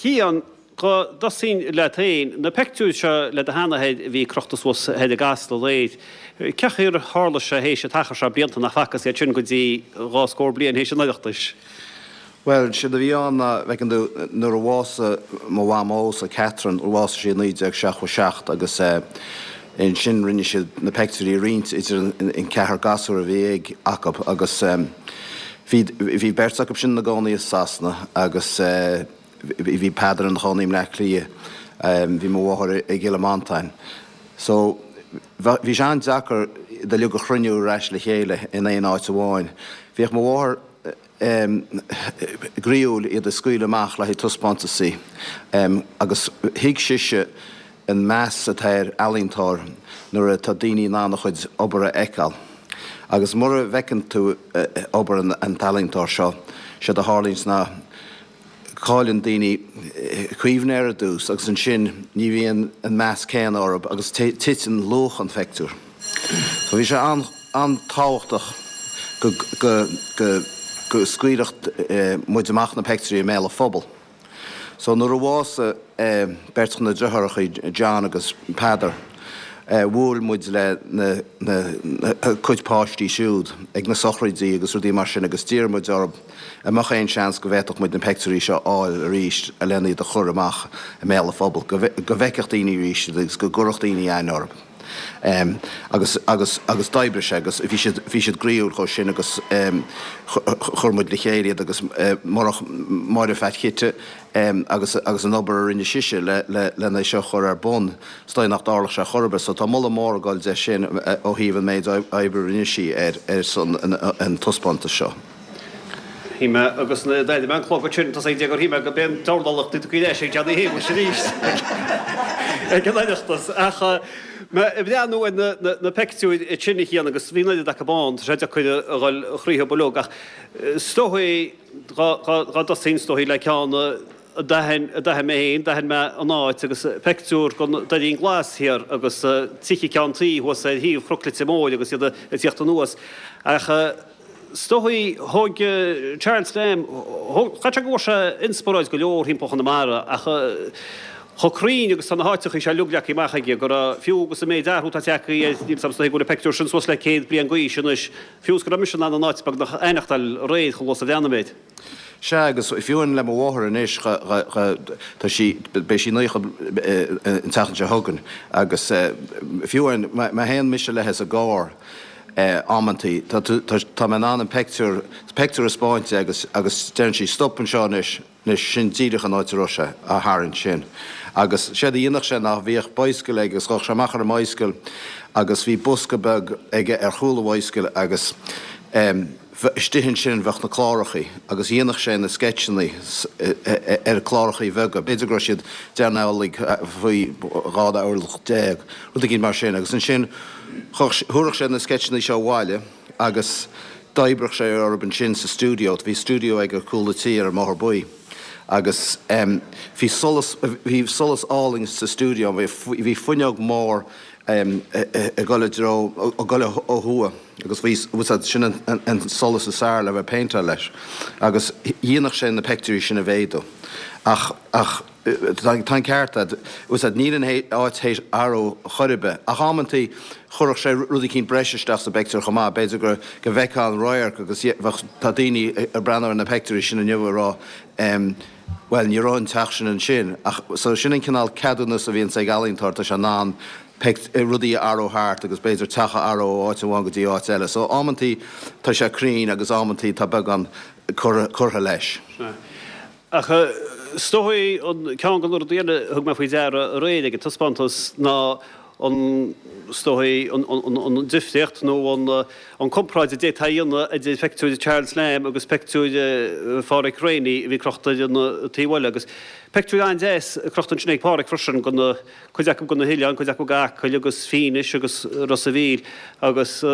Cian, Go dtosóinn leat féin, na peictiúir seo le do sheanathair a bhí crochta suas thoir i gCasla aréir, cén chaoi ar tharla sé théis an t-achar seo blianta nach bhfacthas iad sin go dtí dhá scór bliain théis an Oireachtais? Bhuel, séard a bhí ann ná, bhfeiceann tú, nuair a bhásaigh mo mhamósa, Catherine, bhásaigh sí i 1977 agus ansin rinne siad na peictiúirí a roinnt idir an ceathrar gasúr a bhí ag, acu agus bhí, bhí beirt acu sin ina gcónaí i Sasana agus, Bhí Peadar ina chónaí i mBleá Cliath, bhí mo mháthair i gCill Mhantáin. So, bhí sé an-deacair iad uilig a chruinniú ar ais le chéile in aon áit amháin. Bhíodh mo mháthair groíúil iad a scaoileadh amach le haghaidh taispeántasaí agus thuig sise an meas atá ar ealaíontóir nuair atá daoine in ann a chuid obair a fheiceáil. Agus mura bhfeiceann tú obair an t-ealaíontóir seo, séard a tharlaíonns ná cailleann daoine cuimhne air ar dtús agus ansin ní bhíonn an meas céanna orthu agus titeann luach an phictiúir. So bhí sé an-tábhachtach go go go go scaoilfeadh muid amach na peictiúirí i mbéal an phobail. So nuair a bhásaigh beirt de na deartháireacha, John agus Peadar, bhuail muid le na na cuid páistí siúd ag na sochraidí agus rudaí mar sin agus d'iarr muid orthu An mbeadh aon seans go bhféadfadh muid na peictiúirí seo a fháil arís lena iad a chur amach i mbéal an phobail, go bhfeicfeadh daoine arís iad agus go gcuirfeadh daoine aithne orthu? Agus, agus, agus d'oibrigh sé agus bhí siad, bhí siad groíúil chomh sin agus chuir muid le chéile iad agus murach Máire Phat Chite agus, agus an obair a rinne sise le, le, lena é seo a chur ar bun, is dóigh nach dtarlódh sé chor ar bith. So tá moladh mór ag dul di sin ó thaobh an méid oibre a rinne sí ar, ar son an, an taispeántais seo. Shíl mé agus nuair a d'airigh mé an clog ansin, tosaigh gur shíl mé go b'é an dornálaíocht a tugtha ar ais ag Johnny Shéamuis arís ag an Oireachtas. Ach mé ag breathnú ar na peictiúir sin a Chian agus bhí an oiread acu ann, tá sé deacair a dhul thríothu uilig ach is dóigh dá dtosóinn is dóigh le ceann a d'aithin a d'aithin mé féin, d'aithin mé an áit agus peictiúr den Doirín Glas thiar agus tithe ceann tuí thuas ar thaobh Chnoc Leitir Móir agus iad ag tíocht anuas. Ach Is dóigh, thóg Charles Lamb, thóg, chaithfeadh sé go bhfuair sé inspioráid go leor thimpeall Chonamara ach. Chomh cruinn agus tá na háiteachaí seo uilig leagtha amach aige, go raibh, fiú agus an méid athrú atá tagtha air, níl 's a'm is dóigh go bhfuil an peictiúr sin suas le 100 bliain d'aois anois, fiú is go raibh mise in ann an áit beagnach a aithneachtáil aréir chomh luath is a bhreathnaigh mé air. Sea, agus fiú amháin le mo mháthair anois, tá sí, beidh sí 90 an tseachtain seo chugainn, agus fiú amháin má théann mise léithe sa gcarr amantaí, tá mé in ann an peictiúr, peictiúr a 'spáint di agus, agus deireann sí, stop anseo anois, Anois, sin díreach an áit a raibh sé, á tharraingt sin. Agus séard a dhéanadh sé ná bhíodh bicycle aige agus ghabhadh sé amach ar an mbicycle agus bhí bosca beag aige ar chúl an bhicycle agus em istigh ansin bheadh na clárachaí agus dhéanadh sé na sceitseannaí ar chlárachaí bheaga, b'fhéidir go raibh siad deich n-orlach faoi 12 orlach, rud éigin mar sin agus ansin thabharfadh sé na sceitseannaí seo abhaile agus d'oibreodh sé orthu ansin sa stiúideo. Bhí stiúideo aige ar chúl a tí ar an mBóthar Buí agus bhí solas, bhí solas álainn sa stiúideo, bhí fuinneog mór ag dul i dtreo, ag dul ó thuaidh agus bhí, sin an solas is fearr le bheith ag péinteáil leis agus dhéanadh sé na peictiúirí sin a mhéadú. Ach, ach. Tá an ceart agat, bhfuil 's a'd, níl an áit théis athrú chor ar bith. Ach amantaí chuirfeadh sé rud eicínt breise isteach sa bpeictiúr chomh maith, b'fhéidir go go bhfeicfeá an radharc agus bheadh, tá daoine ag breathnú ar na peictiúirí sin inniu ag rá em bhuel ní raibh an teach sin ansin. Ach so sin an cineál ceadúnas a bhíonns ag ealaíontóir, tá sé in ann rudaí a athrú thart agus b'fhéidir teach a athrú ó áit amháin go dtí áit eile. So amantaí tá sé cruinn agus amantaí tá beagán curtha leis. Sea. Ach is dóigh an ceann de na rudaí eile a thug mé faoi deara aréir ag an taispeántas ná an, is dóigh, an difríocht nó an comparáid a d'fhéadfá a dhéanamh idir peictiúir Charles Lamb agus peictiúir Pháraic Reaney a bhí crochta ar an taobh eile. Agus peictiúir an-deas crochta ansin ag Páraic freisin, de na, cuid acu de na hoileáin, cuid acu d'Acaill agus Fínis agus Ros a' Mhíl agus.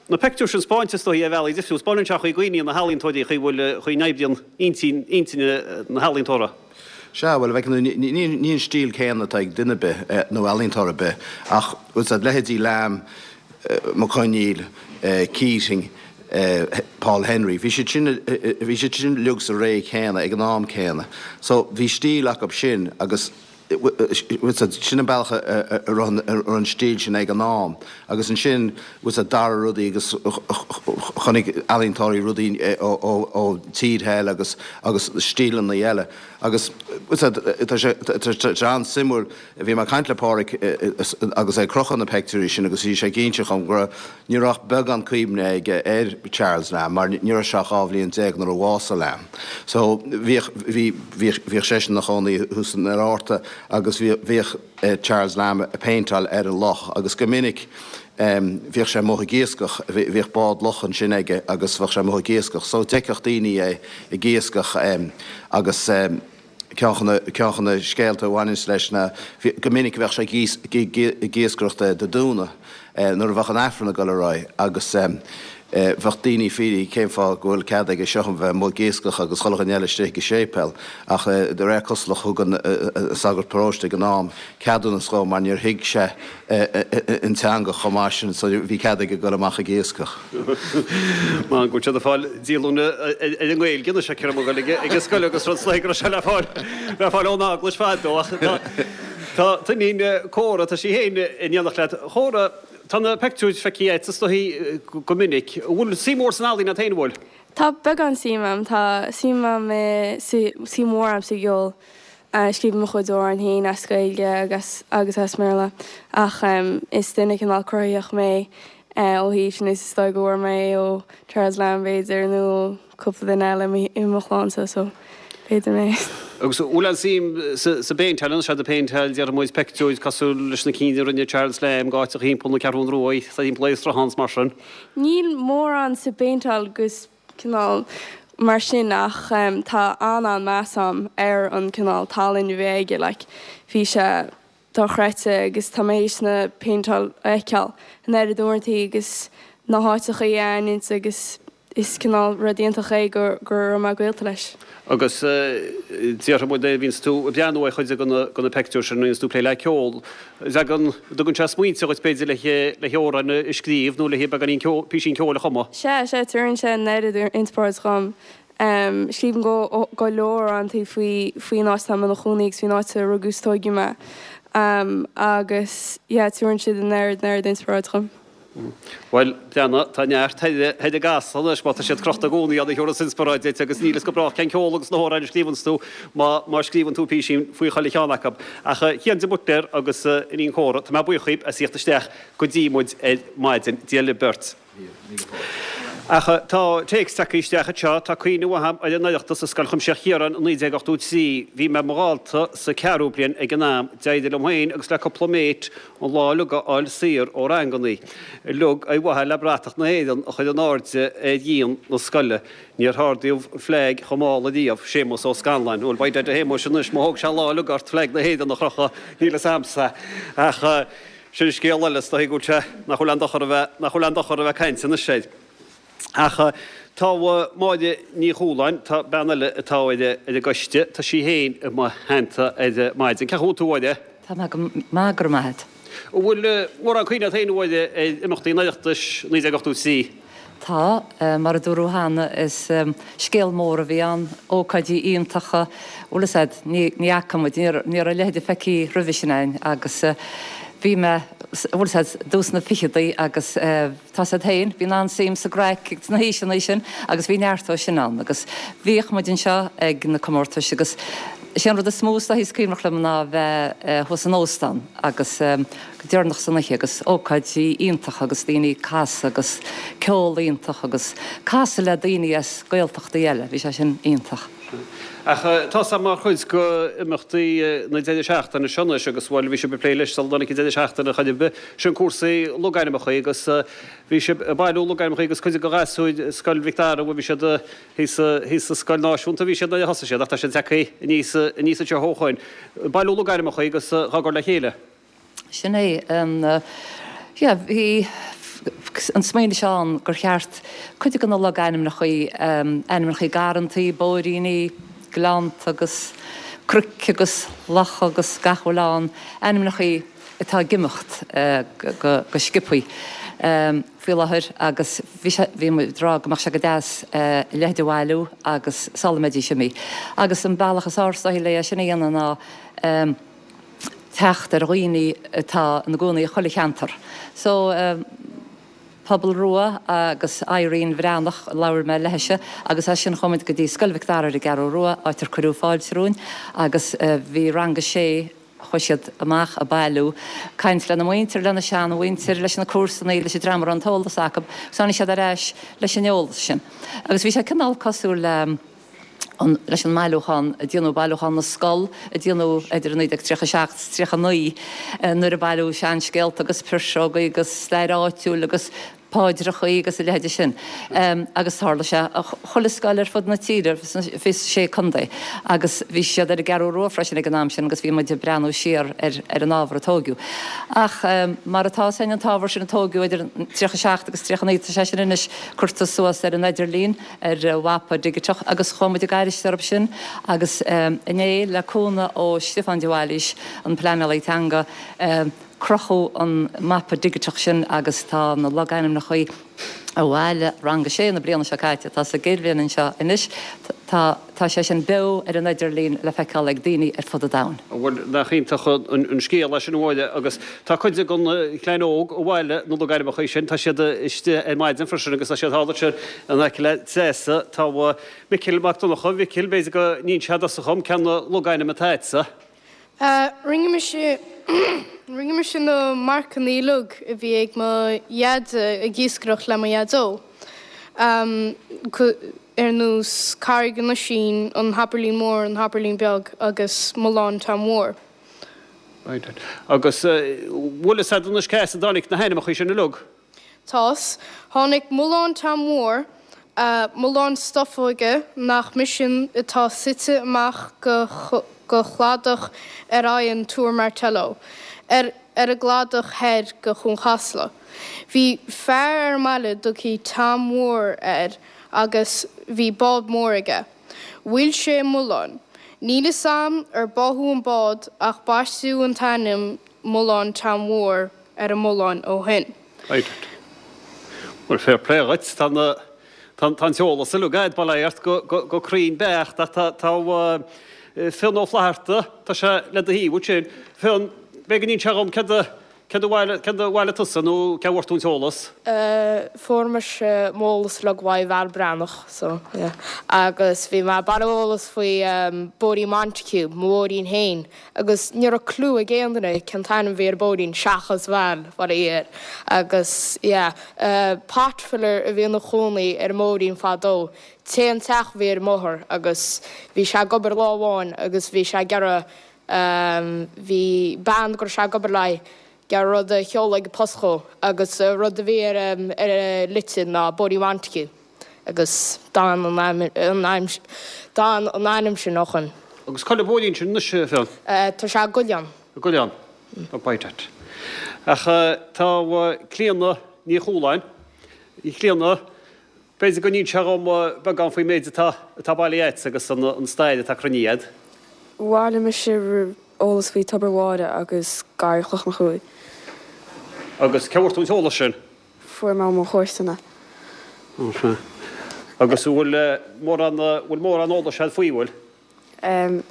Na peictiúir sin spáinte is dóigh ar bhealaí difriúla. Spáineann sé an chaoi a gcuimhníonn na healaíontóirí, an chaoi a bhfuil, an chaoi a n-oibríonn intinn, intinn na healaíontóra. Sea, bhuel, bheadh, ní, ní an stíl céanna atá ag duine ar bith, nó ealaíontóir ar bith, ach, bhfuil 's a'd, leithéidí Lamb, Mac Conghail, Keating, Paul Henry, bhí siad sin, bhí siad sin uilig sa ré chéanna, ag an am céanna. So, bhí stíl acu sin agus, Sin an bealach a raibh an stíl sin ag an am. Agus ansin, bhfuil 's a'd, d'athraigh rudaí agus chonaic ealaíontóirí rudaí ó tíortha eile agus agus stíleanna eile. Agus, bhfuil 's a'd, tá sé tá sé an-suimiúil, bhí mé ag caint le Páraic agus é ag crochadh na peictiúirí sin agus bhí sé ag inse dhom go raibh, ní raibh ach beagán cuimhne aige ar Charles Lamb mar ní raibh sé ach 12 bhliain nuair a bhásaigh Lamb. So bhíodh, bhí, bhíodh, bhíodh seisean ina chónaí thuas in Fhear Fhearta agus bhíodh, bhíodh Charles Lamb ag péinteáil ar an loch agus go minic bhíodh sé amuigh ag iascach, bhíodh bád locha ansin aige agus bheadh sé amuigh ag iascach. So d'fheicfeadh daoine é ag iascach agus ceann de na scéalta a bhaineanns leis ná go minic bheadh sé ag iascaireacht Dé Domhnaigh nuair a bheadh an Aifreann ag dul ar aghaidh agus bheadh daoine ag fiafraí cén fáth go bhfuil cead aige seo a bheith amuigh ag iascach agus chuile dhuine eile istigh ag an séipéal ach de réir cosúlacht thug an sagart paróiste ag an am ceadúnas dhó mar níor thuig sé an teanga chomh maith sin so bhí cead aige dul amach ag iascach. Mar go bhfuil siad ag fáil díolúine ar an nGaeilge anois ag cur ag an scoil agus rud is go raibh sé le fáil le fáil ón eaglais fadó ach tá t'iníon Córa, tá sí féin in éineacht leat. Córa, tá na peictiúir feicthe agat is dóigh go minic. An bhfuil suim mhór san ealaín agat féin, an bhfuil? Tá beagán suim a'm, tá suim a'm i, suim mhór a'm sa gceol. Scríobhaim mo chuid amhrán féin as Gaeilge agus agus as mBéarla ach is duine cineál cruthaitheach mé ó thaobh sin is is dóigh go bhfuair mé é ó Charles Lamb b'fhéidir nó ó cúpla duine eile i mo chlannsa so b'fhéidir mé. Agus an bhfuil aon suim sa bpéinteáil, an bhfuil tú ag péinteáil déarfaidh muid peictiúir cosúil leis na cinn a rinne Charles Lamb go áiteacha thimpeall na Ceathrún Rua, thimpeall ar sruthán is mar sin? Níl mórán sa bpéinteáil go cineál mar sin ach tá an-an-meas a'm ar an cineál tallann a bhí aige like bhí sé dochreidte agus tá mé théis na péinteáil a fheiceáil an oiread uaireantaí agus na háiteachaí a aithint agus is cineál rud iontach é go go raibh mé gaolta leis. Agus déarfaidh muid nuair a bhíonns tú ag breathnú ar chuid de na peictiúir sin, nuair a bhíonns tú ag plé le ceol, dtagann, dtugann sé smaointe dhuit b'fhéidir le hamhráin a scríobh nó le beagáinín ceoil, písín ceoil a chumadh? Sea, sea, tabharann sé an oiread inspioráid dhom. Scríobhaim go go leor amhráin faoi faoin áit atá mé i mo chónaí agus faoin áit a rugadh is tóigeadh mé. Agus yeah tabharann siad an oiread an oiread inspioráid dhom. Bhuel, breathnaigh, tá neart thoir thoir i gCasla anois má tá siad crochta i gcónaí ann a thabharfas inspioráid duit agus níl fhios go brách cén ceol agus na hamhráin a scríobhanns tú má má scríobhann tú písín faoi chuile cheann acu. Ach Cian de Buitléar agus Iníon Chóra, tá mé buíoch dhaoib as thíocht isteach go dtí muid ar maidin. Dia libh beirt. Ach tá téacs tagtha isteach anseo, tá cuimhne mhaith agam ar an Oireachtas i Scoil Chuimsitheach Chiaráin i 1983. Bhí mé i mo dhalta sa ceathrú bliain ag an am. D'éirigh liom féin agus le cúpla mate an lá uilig a fháil saor ó rangannaí uilig ar mhaithe le bratach na hÉireann a chur in airde ar dhíon na scoile. Níor hardaíodh an flag chomh mall ariamh. Séamus Ó Scanláin. Bhuel, by dad a Shéamuis anois, má thóg sé lá uilig ort flag na hÉireann a chrochadh, níl fhios a'msa. Ach. Sin scéal eile, is dóigh go bhfuil sé, nach bhfuil aon dochar a bheith, nach bhfuil aon dochar a bheith ag caint anois air. Ach tá Máire Ní Chualáin, tá bean eile atá ar ar an gcoiste, tá sí féin i mo theannta ar maidin. Cén chaoi a bhfuil tú, a Mháire? Tá mé go maith, go raibh maith agat. An bhfuil mórán cuimhne agat féin, a Mháire, ar imeachtaí an Oireachtais 1983? Tá. Mar a dúradh cheana, is scéal mór a bhí ann, ócáidí iontacha, bhfuil fhios a'd, ní fhaca muid, ní raibh a leithéid feicthe roimhe sin a'inn agus bhí mé, bhfuil fhios a'd, i dtús na ficheadaí agus tá fhios a'd féin, bíonn an-suim sa gcraic sna haoiseanna sin agus bhí neart dó sin ann agus bhíodh muid anseo ag na comórtais agus is é an rud is mó is dóichí is cuimhneach liom ná bheith thuas san óstán agus. go deireanach san oíche agus ócáidí iontacha agus daoine ag casadh agus ceol iontach agus casadh le daoine as Gaeltachtaí eile, bhí sé sin iontach. Ach tá sé mar chuid de imeachtaí na deireadh seachtaine seo anois agus bhuel bhí sibh ag plé leis sula dtáinig an deireadh seachtaine chor ar bith, sin cúrsaí logainmneacha agus bhí sibh ag bailiú logainmneacha agus cuid de ghasúir Scoil Mhic Dara bhuel bhí siad thíos thíos sa scoil náisiúnta a bhí siad nuair a thosaigh siad ach tá siad tagtha aníos aníos anseo ó shoin. Bailiú logainmneacha agus á gcur le chéile. Sin é an, yeah, bhí an smaoineamh seo ann gur cheart cuid de na logainmneacha, ainmneacha garrantaí, bóithríní, gleannta agus cnoic agus locha agus gach a bhfuil ann, ainmneacha atá ag imeacht go sciobthaí faoi láthair agus bhí sé, bhí muid ag rá go mbeadh sé go deas a leithéid a bhailiú agus sula mbeidís imithe. Agus an bealach is fearr is dóichí le é sin a dhéanamh ná, teacht ar dhaoine atá ina gcónaí i chuile cheantar. So, Pobal Rua agus Irene Bhreathnach, labhair mé leithise agus as sin chuaigh muid go dtí Scoil Mhic Dara ar an gCeathrú Rua, áit ar cuireadh fáilte romhainn agus bhí rang a sé, chuaigh siad amach ag bailiú, caint lena muintir, lena seanmhuintir, leis na comharsanaí, leis an dream a raibh an t-eolas acu agus tháinig siad ar ais leis an eolas sin. Agus bhí sé cineál cosúil le. an, leis an mbailiúchán a déanadh, Bailiúchán na Scol a déanadh idir 1937 is 39 nuair a bailíodh seanscéalta agus piseogaí agus stair áitiúil agus paidreachaí agus a leithéide sin. Agus tharla sé chuile scoil ar fud na tíre, sna 26 contae. Agus bhí siad ar an gCeathrú Rua freisin ag an am sin agus bhí muid ag breathnú siar ar ar an ábhar a tóigeadh. Ach mar atá fhios againn an t-ábhar sin a tóigeadh idir 37 agus 39 tá sé sin anois curtha suas ar an idirlíon. ar mhapa digiteach agus chuaigh muid ag airist orthu sin agus inné, le cúnamh ó Stiofán de Bhailís, an pleanálaí teanga, crochadh an mapa digiteach sin agus tá na logainmneacha a bhailigh Rang a Sé na bliana seo caite, atá sa gcéad bhliain anseo anois, tá tá sé sin beo ar an idirlíon le feiceáil ag daoine ar fud an domhain. Bhuel, nach iontach an scéal é sin, a Mháire, agus tá cuid den chlann óg a bhailigh na logainmneacha sin, tá siad istigh ar maidin freisin agus tá siad thall ansin in aice le Treasa. Tá Micil Mac Donncha, Mhicil, b'fhéidir go n-inseofá tusa dhom cén logainm atá agatsa? Rinne mise, rinne mise na marcanna uilig a bhí ag mo dhaid ag iascaireacht le mo dhaideo. Ar nós Carraig an Oisín, an Thapairlín Mór, an Thapairlín Beag agus Mullán Tom Mhór. Right. Agus bhfuil fhios a'd anois cá as a dtáinig na hainmneacha sin uilig? Tá's. Tháinig Mullán Tom Mhór, Mullán Stofóige nach Misean atá suite amach go go chladach ar aghaidh an Túr Martello, ar ar an gcladach thoir go Chuan Chasla. Bhí fear ar an mbaile dtugthaí Tom Mhór air agus bhí bád mór aige. Bhuail sé mullán. Níl fhios a'm ar báthadh an bád ach baisteadh an t-ainm Mullán Tom Mhór ar an mullán ó shin. Right. Bhuel, fair play dhuit. Tá na, tá. Tá an t-eolas uilig a'd, bail ó Dhia ort, go cruinn beacht ach tá Fionn Ó Flatharta, tá sé le do thaobh ansin. Fionn, b'fhéidir go n-inseofá dhom céard a céard a bhailigh tusa nó cé a bhfuair tú an t-eolas? Fuair mise m'eolas uilig uaidh Val Breathnach, so yeah. Agus bhí mé ag bailiú eolas faoi Bóithrín Montague, mo bhóithrín féin, agus ní raibh clue ag aon duine cén t-ainm a bhí ar an bóithrín seachas Val, faraor. Agus yeah, pot filler a bhí ina chónaí ar an mbóithrín fadó. T-aon teach a bhí ar an mbóthar agus bhí sé ag obair lá amháin agus bhí sé ag iarraidh, bhí bean go raibh sé ag obair léi ag iarraidh rud a sheoladh ag an post dhó agus an rud a bhí ar an litir ná Bóithrín Montague. Agus d'fhan an d'fhan an ainm sin ó shoin. Agus cá bhfuil an bóithrín sin anois, a Fhionn? Tá sé i gCoileán. I gCoileán. Up by that. Ach tá Clíona Ní Chualáin, a Chlíona, b'fhéidir go n-inseofá dhom beagán faoin méid atá atá bailithe agat agus an stair atá cruinnithe agat. Bhailigh mise eolas faoi Tobar Mháire agus Garraí Chloch na Chrúibe. Agus cé a bhfuair tú an t-eolas sin? Fuair mé ó mo chomharsana. Ó sea. Agus an bhfuil mórán, bhfuil mórán eolais agat faoi, bhfuil? Em.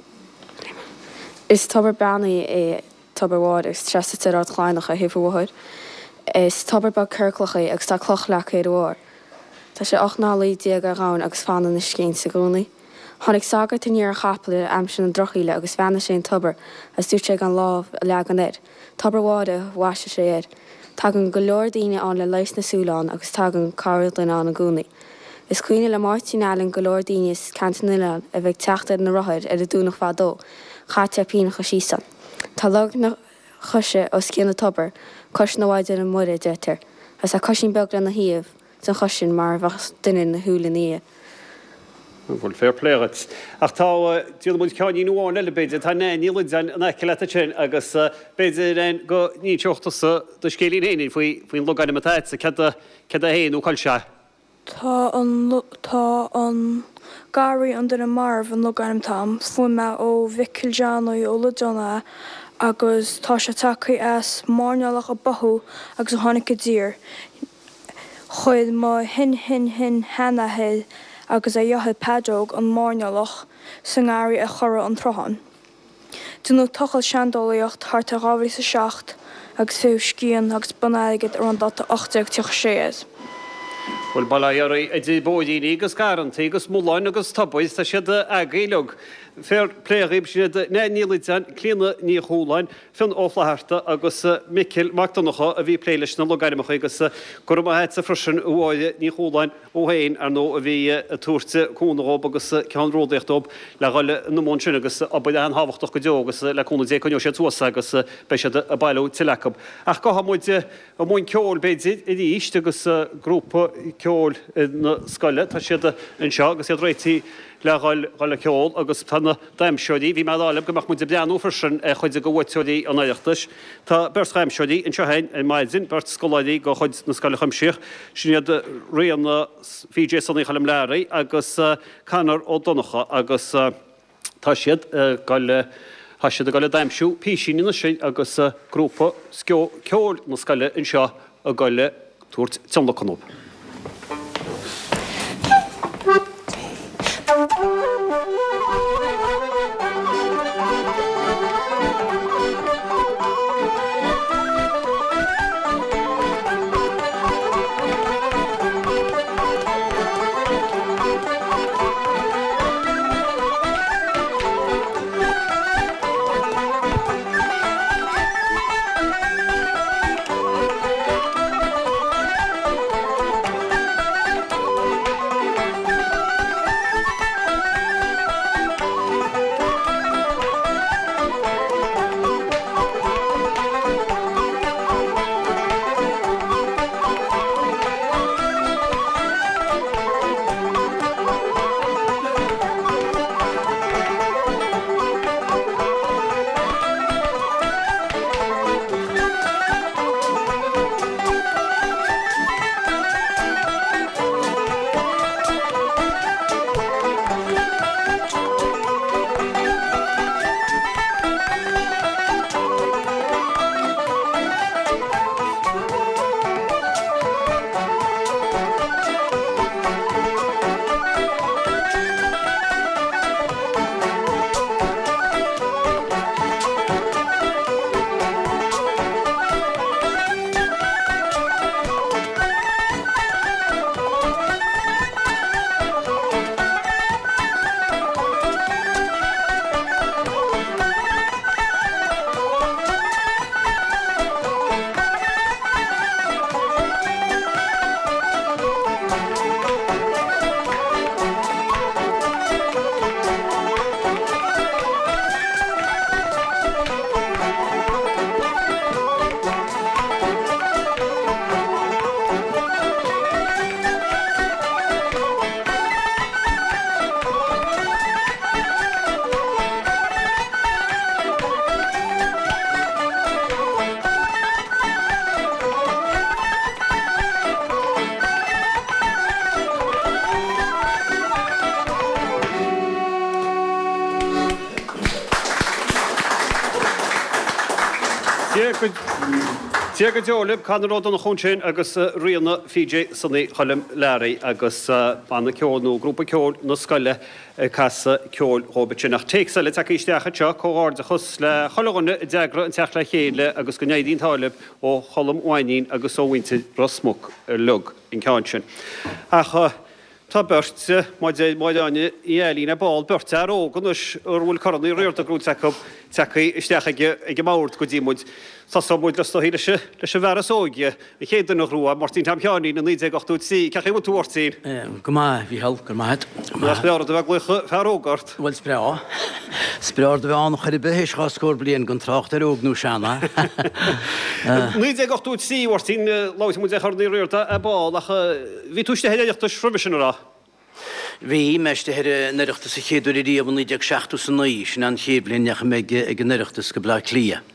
Is tobar beannaithe é Tobar Mháire agus tá sé suite ar Ard Chladhnach ar thaobh an bhóthair. Is tobar beag ciorclach é agus tá cloch leagtha ar a bharr. Tá sé 18 n-aclaí ar dhomhain agus fanann uisce inti i gcónaí. Tháinig sagart aniar ar chapall ar aimsir na drochshaoile agus bheannaigh sé an tobar agus dúirt sé gan lámh a leagan air. Tobar Mháire a bhaist sé air. Tagann go leor daoine ann le leigheas na súl ann agus tagann corrdhuine ann i gcónaí. Is cuimhin le Máirtín Allen go leor daoine as Ceantar na nOileán a bheith ag teacht ar na rothair ar an Domhnach fadó, chaití poitíneacha síos ann. Tá lorg na coise os cionn an tobair, cois na Mhaighdeana Muire a deirtear, agus tá coisín beag lena thaobh den chois sin mar a bheadh duine ina shúil ina dhiaidh. Bhuel, fair play dhuit. Ach tá, déanfaidh muid ceainnín amháin eile b'fhéidir, tá Nan Ní Loideáin in aice leat ansin agus b'fhéidir, Nan, go n-inseodh tusa do scéilín féin faoi, faoin logainm atá agatsa, céard é, céard é féin nó cá bhfuil sé? Tá an, tá an Garraí an Duine Marbh an logainm atá a'm, fuair mé ó Mhicil Johnny Ó Loideáin é agus tá sé tagtha as mairnéalach a báthadh agus a tháinig i dtír. Chuir mo shin-shin-shin-sheanathair agus a dheartháir Peadróg an mairnéalach sa ngarraí ar chora an tsrutháin. Déanadh tochailt seandálaíocht thart ar 2007 agus faigheadh scian agus bonn airgid ar an dáta 1836 air. Bhuel, bail ó Dhia oraibh, idir bóithríní agus garrantaí agus mulláin agus tobair, tá siad agaibh uilig. Fair play dhaoibh, sin iad Nan Ní Loideáin, Clíona Ní Chualáin, Fionn Ó Flatharta agus Micil Mac Donncha a bhí ag plé leis na logainmneacha agus go raibh maith agatsa freisin a Mháire Ní Chualáin ó féin, ar ndóigh, a bhí ag tabhairt cúnamh dhób agus ceannródaíocht dóibh le dhul ina mbun sin agus obair an-thábhachtach go deo agus le cúnamh Dé coinneoidh siad suas agus beidh siad ag bailiú tuilleadh acu. Ach gabhfaidh muid i mbun ceoil b'fhéidir arís agus grúpa ceoil na scoile, tá siad anseo agus iad réitithe le dhul dhul ag ceol agus tá na damhsóirí, bhí mé ag rá libh go mbeadh muid ag breathnú freisin ar chuid de bhuaiteoirí an Oireachtais. Tá beirt dhamhsóirí anseo againn ar maidin, beirt scoláirí de chuid na Scoile Chuimsitheach, sin iad Ríona PJ Sonaí Choilm Learaí agus Conor Ó Donnchadha agus tá siad ag dul, tá siad ag dul ag damhsiú písín anois agus grúpa ceoil na scoile anseo ag dul ag tabhairt tionlacan dóibh. Dia go deo libh, Conor Ó Donnchú ansin agus Ríona PJ Sonny Choilm Learaí agus banna ceoil nó grúpa ceoil na scoile ag casadh ceoil dhóibh ansin. Ach téacs eile tagtha isteach anseo, comhghairdeachas le chuile dhuine a d'eagraigh an teacht le chéile agus go n-éirí an t-ádh libh ó Cholm Mhainín agus ó mhuintir Ros Muc uilig an ceann sin. Ach Tá beirt, mar a deir Máire Áine Ní Ailín ar ball, beirt fhear óg anois ar a bhfuil Corn Uí Riada gnóite acu, tagtha isteach ag an mbord go dtí muid. Tosóidh muid is dóichí leis an bhfear is óige, an chéad duine a ghnóthaigh, Máirtín Tom Sheáinín i 1983. Cén chaoi a bhfuil tú, a Mháirtín? Go maith, a Mhícheál, go raibh maith agat. Nach breá an rud a bheith ag glaoch fear óg ort? Bhuel, is breá. Is breá an rud a bheith ann chor ar bith théis dhá scór bliain, gan trácht ar óg nó sean. 1983, a Mháirtín, labhair muid ar Chorn Uí Riada ar ball ach Bhí tú istigh ar Oireachtais roimhe sin, an raibh? Bhí mé istigh ar an Oireachtas an chéad uair ariamh i 1979, sin an chéad bhliain a ndeachaigh mé ag an Oireachtas go Bleá Cliath.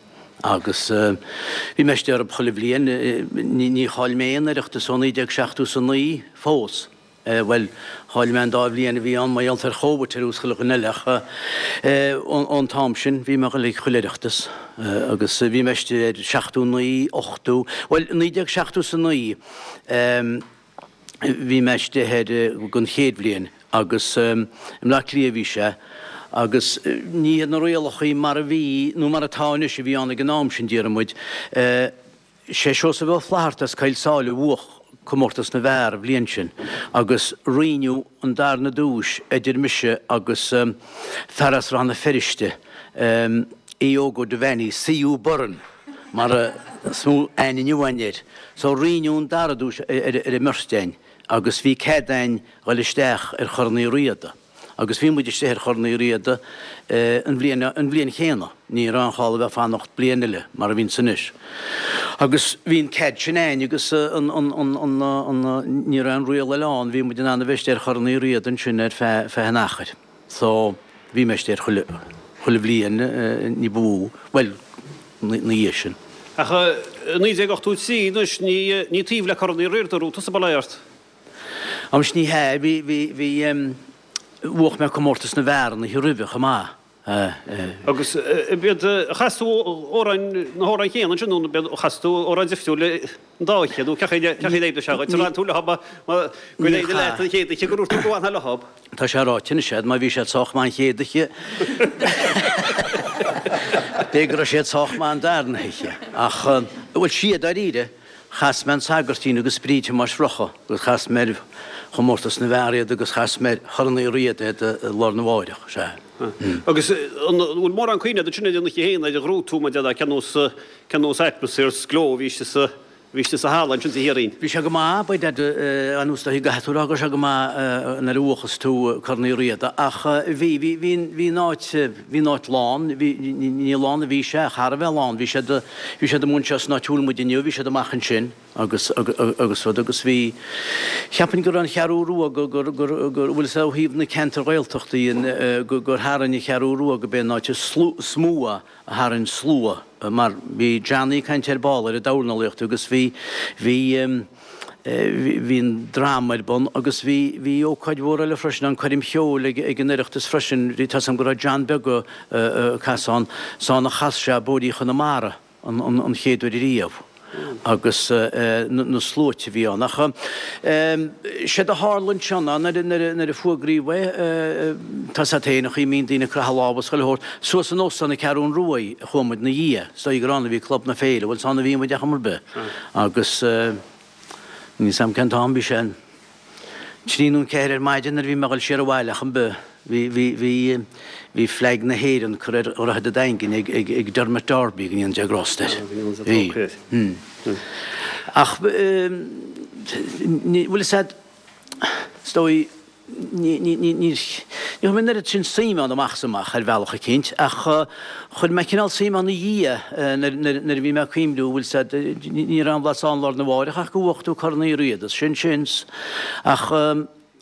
Agus bhí mé istigh orthu chuile bhliain, ní chaill mé aon Oireachtas ó 1979 fós. Bhuel, chaill mé an dá bhliain a bhí ann mar gheall ar Chóbhaid ar nós chuile dhuine eile ach ón t-am sin bhí mé ag dul ag chuile Oireachtas agus bhí mé istigh ar 79, 80, bhuel 1979, Bhí mé istigh air don chéad bhliain agus i mBleá Cliath a bhí sé agus ní hiad na rialachaí mar a bhí nó mar atá anois a bhí ann ag an am sin, déarfaidh muid. Sé Seosamh Ó Flaithearta as Coill Sáile a bhuach comórtas na bhfear an bhliain sin agus roinneadh an darna duais idir mise agus fear as Rann na Feirste, Aodh Óg Ó Duibheannaigh, C.U. Byrne. mar is mó aithne inniu againn air. So roinneadh an dara duais ar an mbeirt againn agus bhí cead againn dhul isteach ar Chorn Uí Riada. Agus bhí muid istigh ar Chorn Uí Riada an bhliain an bhliain chéanna. Ní raibh aon chall a bheith fanacht bliain eile mar a bhíonns anois. Agus bhí an cead sin againn agus an an an an an ní raibh aon riail eile ann, bhí muid in ann a bheith istigh ar Chorn Uí Riada ansin ar feadh feadh an achair. So, bhí mé istigh air chuile, chuile bhliain ní ba mhó, bhuel, na dhiaidh sin. Ach i 1983 anois, ní, ní taobh le Corn Uí Riada a raibh tusa, bail ó Dhia ort. Anois ní hea, bhí, bhí, bhí, bhuach mé comórtas na bhfear an oíche roimhe chomh maith. Agus b'iad, chas tú amhráin, na hamhráin chéanna ansin nó b'iad, chas tú amhráin difriúil an dá oíche nó cén chaoi, cén chaoi a d'oibrigh sé dhuit? Ar fhan tú leo mar gur éirigh leat an chéad oíche go ndúirt tú go bhfanfá leo? Tá sé ráite anois agat, má bhí siad sách maith an chéad oíche, b'fhéidir go raibh siad sách maith an darna hoíche. Ach, bhuel, sea, dáiríre, chas mé An Sagairtín agus Bríd Thomáis Mhurchadha agus chas mé ar chomórtas na bhfear iad agus chas mé ar Chorn Uí Riada iad lá arna mháireach, sea. Agus an bhfuil mórán cuimhne agat ansin ar an oíche féin, ar an ghnóthú, mar a déarfá, cén nós, cén nós atmaisféar 's gleo a bhí istigh sa, bhí istigh sa halla ansin sa Thiar-Rinn? Bhí sé go maith, by dad, anuas do caithfidh tú a rá go raibh sé go maith nuair a bhuachas tú Corn Uí Riada ach bhí, bhí, bhí an, bhí an áit, bhí an áit lán, bhí, ní lán a bhí sé ach thar a bheith lán, bhí siad, bhí siad amuigh anseo san áit a bhfuil muid inniu, bhí siad amach ansin agus, agus rud agus bhí, cheapfainn go raibh an Cheathrú Rua go, gur, gur, gur, bhfuil fhios a'd ó thaobh na ceantair Ghaeltachtaí go, gur tharraing an Cheathrú Rua go b'é an áit is mó a, a tharraing slua mar bhí Johnny ag caint ar ball ar an dornálaíocht agus bhí, bhí, bhí an drama ar bun agus bhí, bhí ócáid mhór eile freisin, an coirm cheoil ag, ag an Oireachtas freisin, bhí, tá's a'm go raibh John Beag ag casadh ann, 's ann a chas sé Bóithrí Chonamara an, an, an chéad uair ariamh. agus na sluaite a bhí ann. Ach séard a tharla ansin ná nuair a fuagraíodh é, tá's a't féin an chaoi a mbíonn daoine ag croitheadh lámha is chuile shórt, suas in Óstán na Ceathrún Ruaidh a chuaigh muid 'na dhiaidh, is dóigh gur ann a bhí Club na Féile, bhuel is ann a bhí muid ar chuma ar bith. Agus níl 's a'm cén t-am, bhí sé an. 3 nó 4 ar maidin nuair a bhí mé ag dul siar abhaile ach an bith, bhí, bhí, bhí, bhí flag na hÉireann curtha ar Dhroichead an Daingin ag, ag, ag Dermot Darby, go ndéana Dia grásta air. Bhí. Ach, ní, bhfuil fhios a'd, is dóigh, ní, ní, ní, ní, ní chuir mé an oiread sin suim ann amach is amach ar bhealach eicínt ach chuir mé cineál suim ann ina dhiaidh nuair a bhí mé ag cuimhniú, bhfuil 'fhios a'd, ní raibh aon bhlas ann lá arna mháireach ach go bhuach tú Corn Uí Riada, sin sin. Ach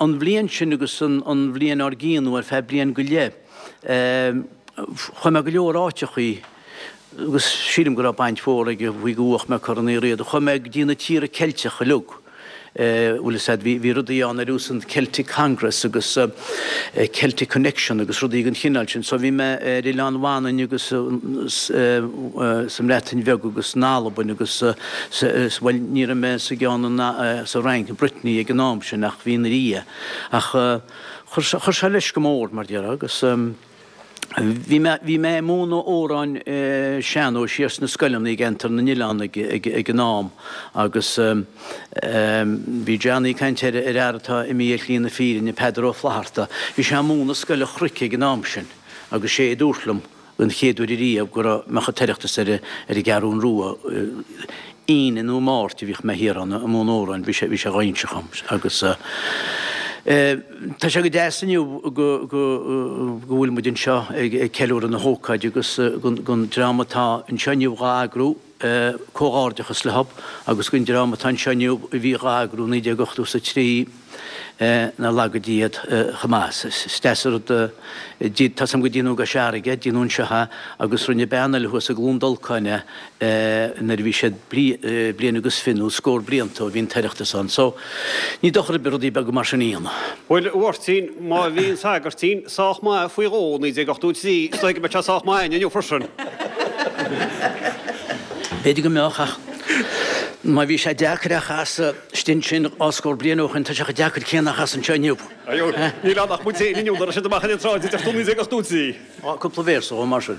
an bhliain sin agus an bhliain ár gcionn nó ar feadh bliain go leith, chuaigh mé go leor áiteachaí agus sílim go raibh baint mhór aige faoi go bhuach mé Corn Uí Riada. Chuaigh mé go dtí na tíortha Ceilteacha uilig. Bhfuil fhios a'd, bhí rudaí ann ar nós an Celtic Congress agus Celtic Connection agus rudaí den chineál sin. So bhí mé ar Oileán Mhanainn agus sa mBreatain Bheag agus in Albain agus bhuel ní raibh mé sa gceann sa Fhrainc, Brittany ag an am sin ach bhí ina dhiaidh. Ach chuir sé leis go mór mar déarfá agus. Bhí mé, bhí mé ag múineadh amhráin sean-nóis thiar sna scoileanna i gceantar na nOileán ag, ag, ag an am agus bhí Johnny ag caint ar, ar fhear atá imithe ar shlí na fírinne, Peadar Ó Flatharta. Bhí sé ag múineadh Scoil an Chnoic ag an am sin agus sé a dúirt liom den chéad uair ariamh go raibh, mbeadh an tOireachtas ar, ar an gCeathrún Rua. Aoine nó Máirt a bhíodh mé thiar ann ag múineadh amhráin, bhí sé, bhí sé dhá inse dhom agus tá sé go deas inniu go, go, go bhfuil muid anseo ag, ag ceiliúradh na hócáide agus gon, gon dream atá anseo inniu dhá eagrú, comhghairdeachas leo agus gon dream atá anseo inniu a bhí dhá eagrú 1983. Nár laga Dia iad chomh maith. Is deas an rud tá 's a'm go déanadh i gCois Fharraige, déanadh anseo é agus rinne bean eile thuas i gCluain Dolcáin é nuair a bhí siad bliain agus fiche nó scór blianta ó bhí an tOireachtas ann. So, ní dochar ar bith rudaí beaga mar sin a dhéanamh. Bhuel, a Mháirtín, má bhí an Sagairtín sách maith faoi dhó i 1983, is dóigh go mbeidh sé sách maith inniu freisin. B'fhéidir go mbeadh ach má bhí sé deacair a chasadh Istigh ansin dhá scór bliain ó shin, tá sé chomh deacair céanna a chasadh anseo inniu. Níl ann ach muid féin inniu, nuair a raibh siad amach ar an tsráid a deir tú 1983. Á, cúpla véarsa dhó mar sin.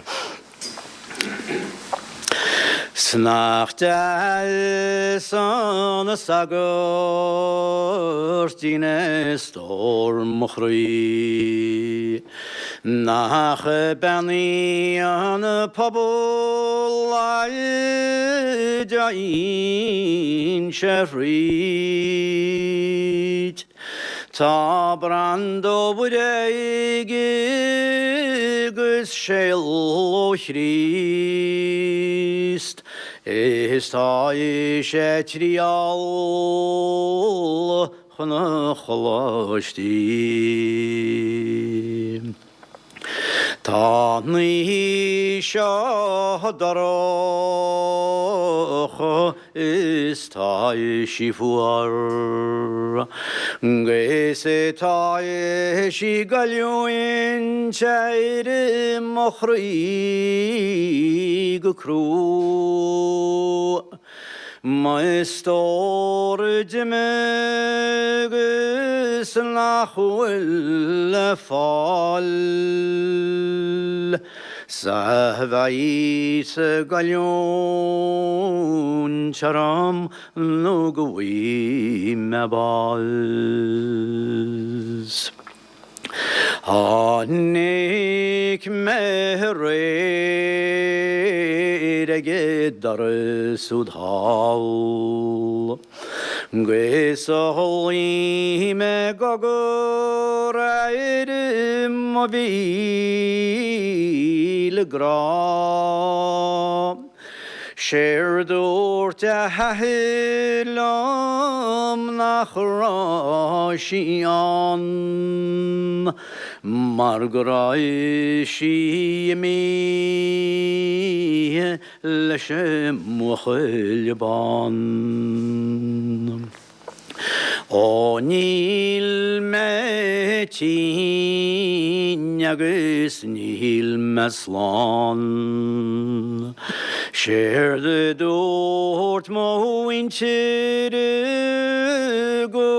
'S nach deas an sagairtín é stór mo chroí. Nach bean í an pobal a dtéann sé thríd. Tá branda ó Mhuire aici agus séala ó Chríost, is tá ise ag triall chun an choláistí. Tá an oíche seo dorcha is tá sí fuar, 'gus tá sí ag goilliúint ar mo chroí go crua. Mo stór d'imigh agus nach bhfuil le fáil 's a bheidh ag goilliúint orm nó go bhfaighidh mé bás. Tháinig mé aréir ag an doras úd thall 'gus ghlaoigh mé cogar ar mo mhíle grá. Séard dúirt a hathair liom nach raibh sí ann mar go raibh sí imithe leis an mbuachaill bán. Ó níl mé tinn agus níl mé slán. Séard a dúirt mo mhuintir go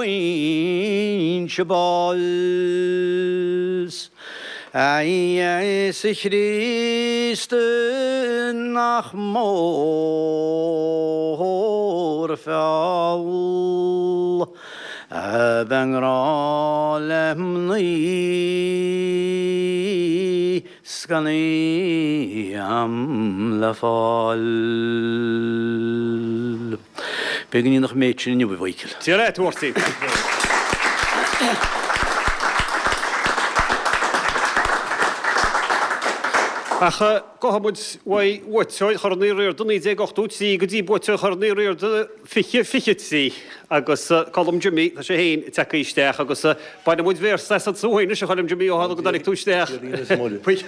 bhfaighinn-se bás. A Íosa Chríost nach mór an feall a bheith i ngrá le mnaoi 's gan í a'm le fáil. B'fhéidir go ndéanfadh an méid sin inniu, a Mhichíl. Dia leat, a Mháirtín. Ach gabhfaidh muid uaidh bhuaiteoir Chorn Uí Riada 1983 go dtí buaiteoir Chorn Uí Riada 2023 agus Colm Jimmy, tá sé féin tagtha isteach agus bainfidh muid véarsa asatsa uainn anois a Choilm Jimmy ó tharla go dtáinig tú isteach faoi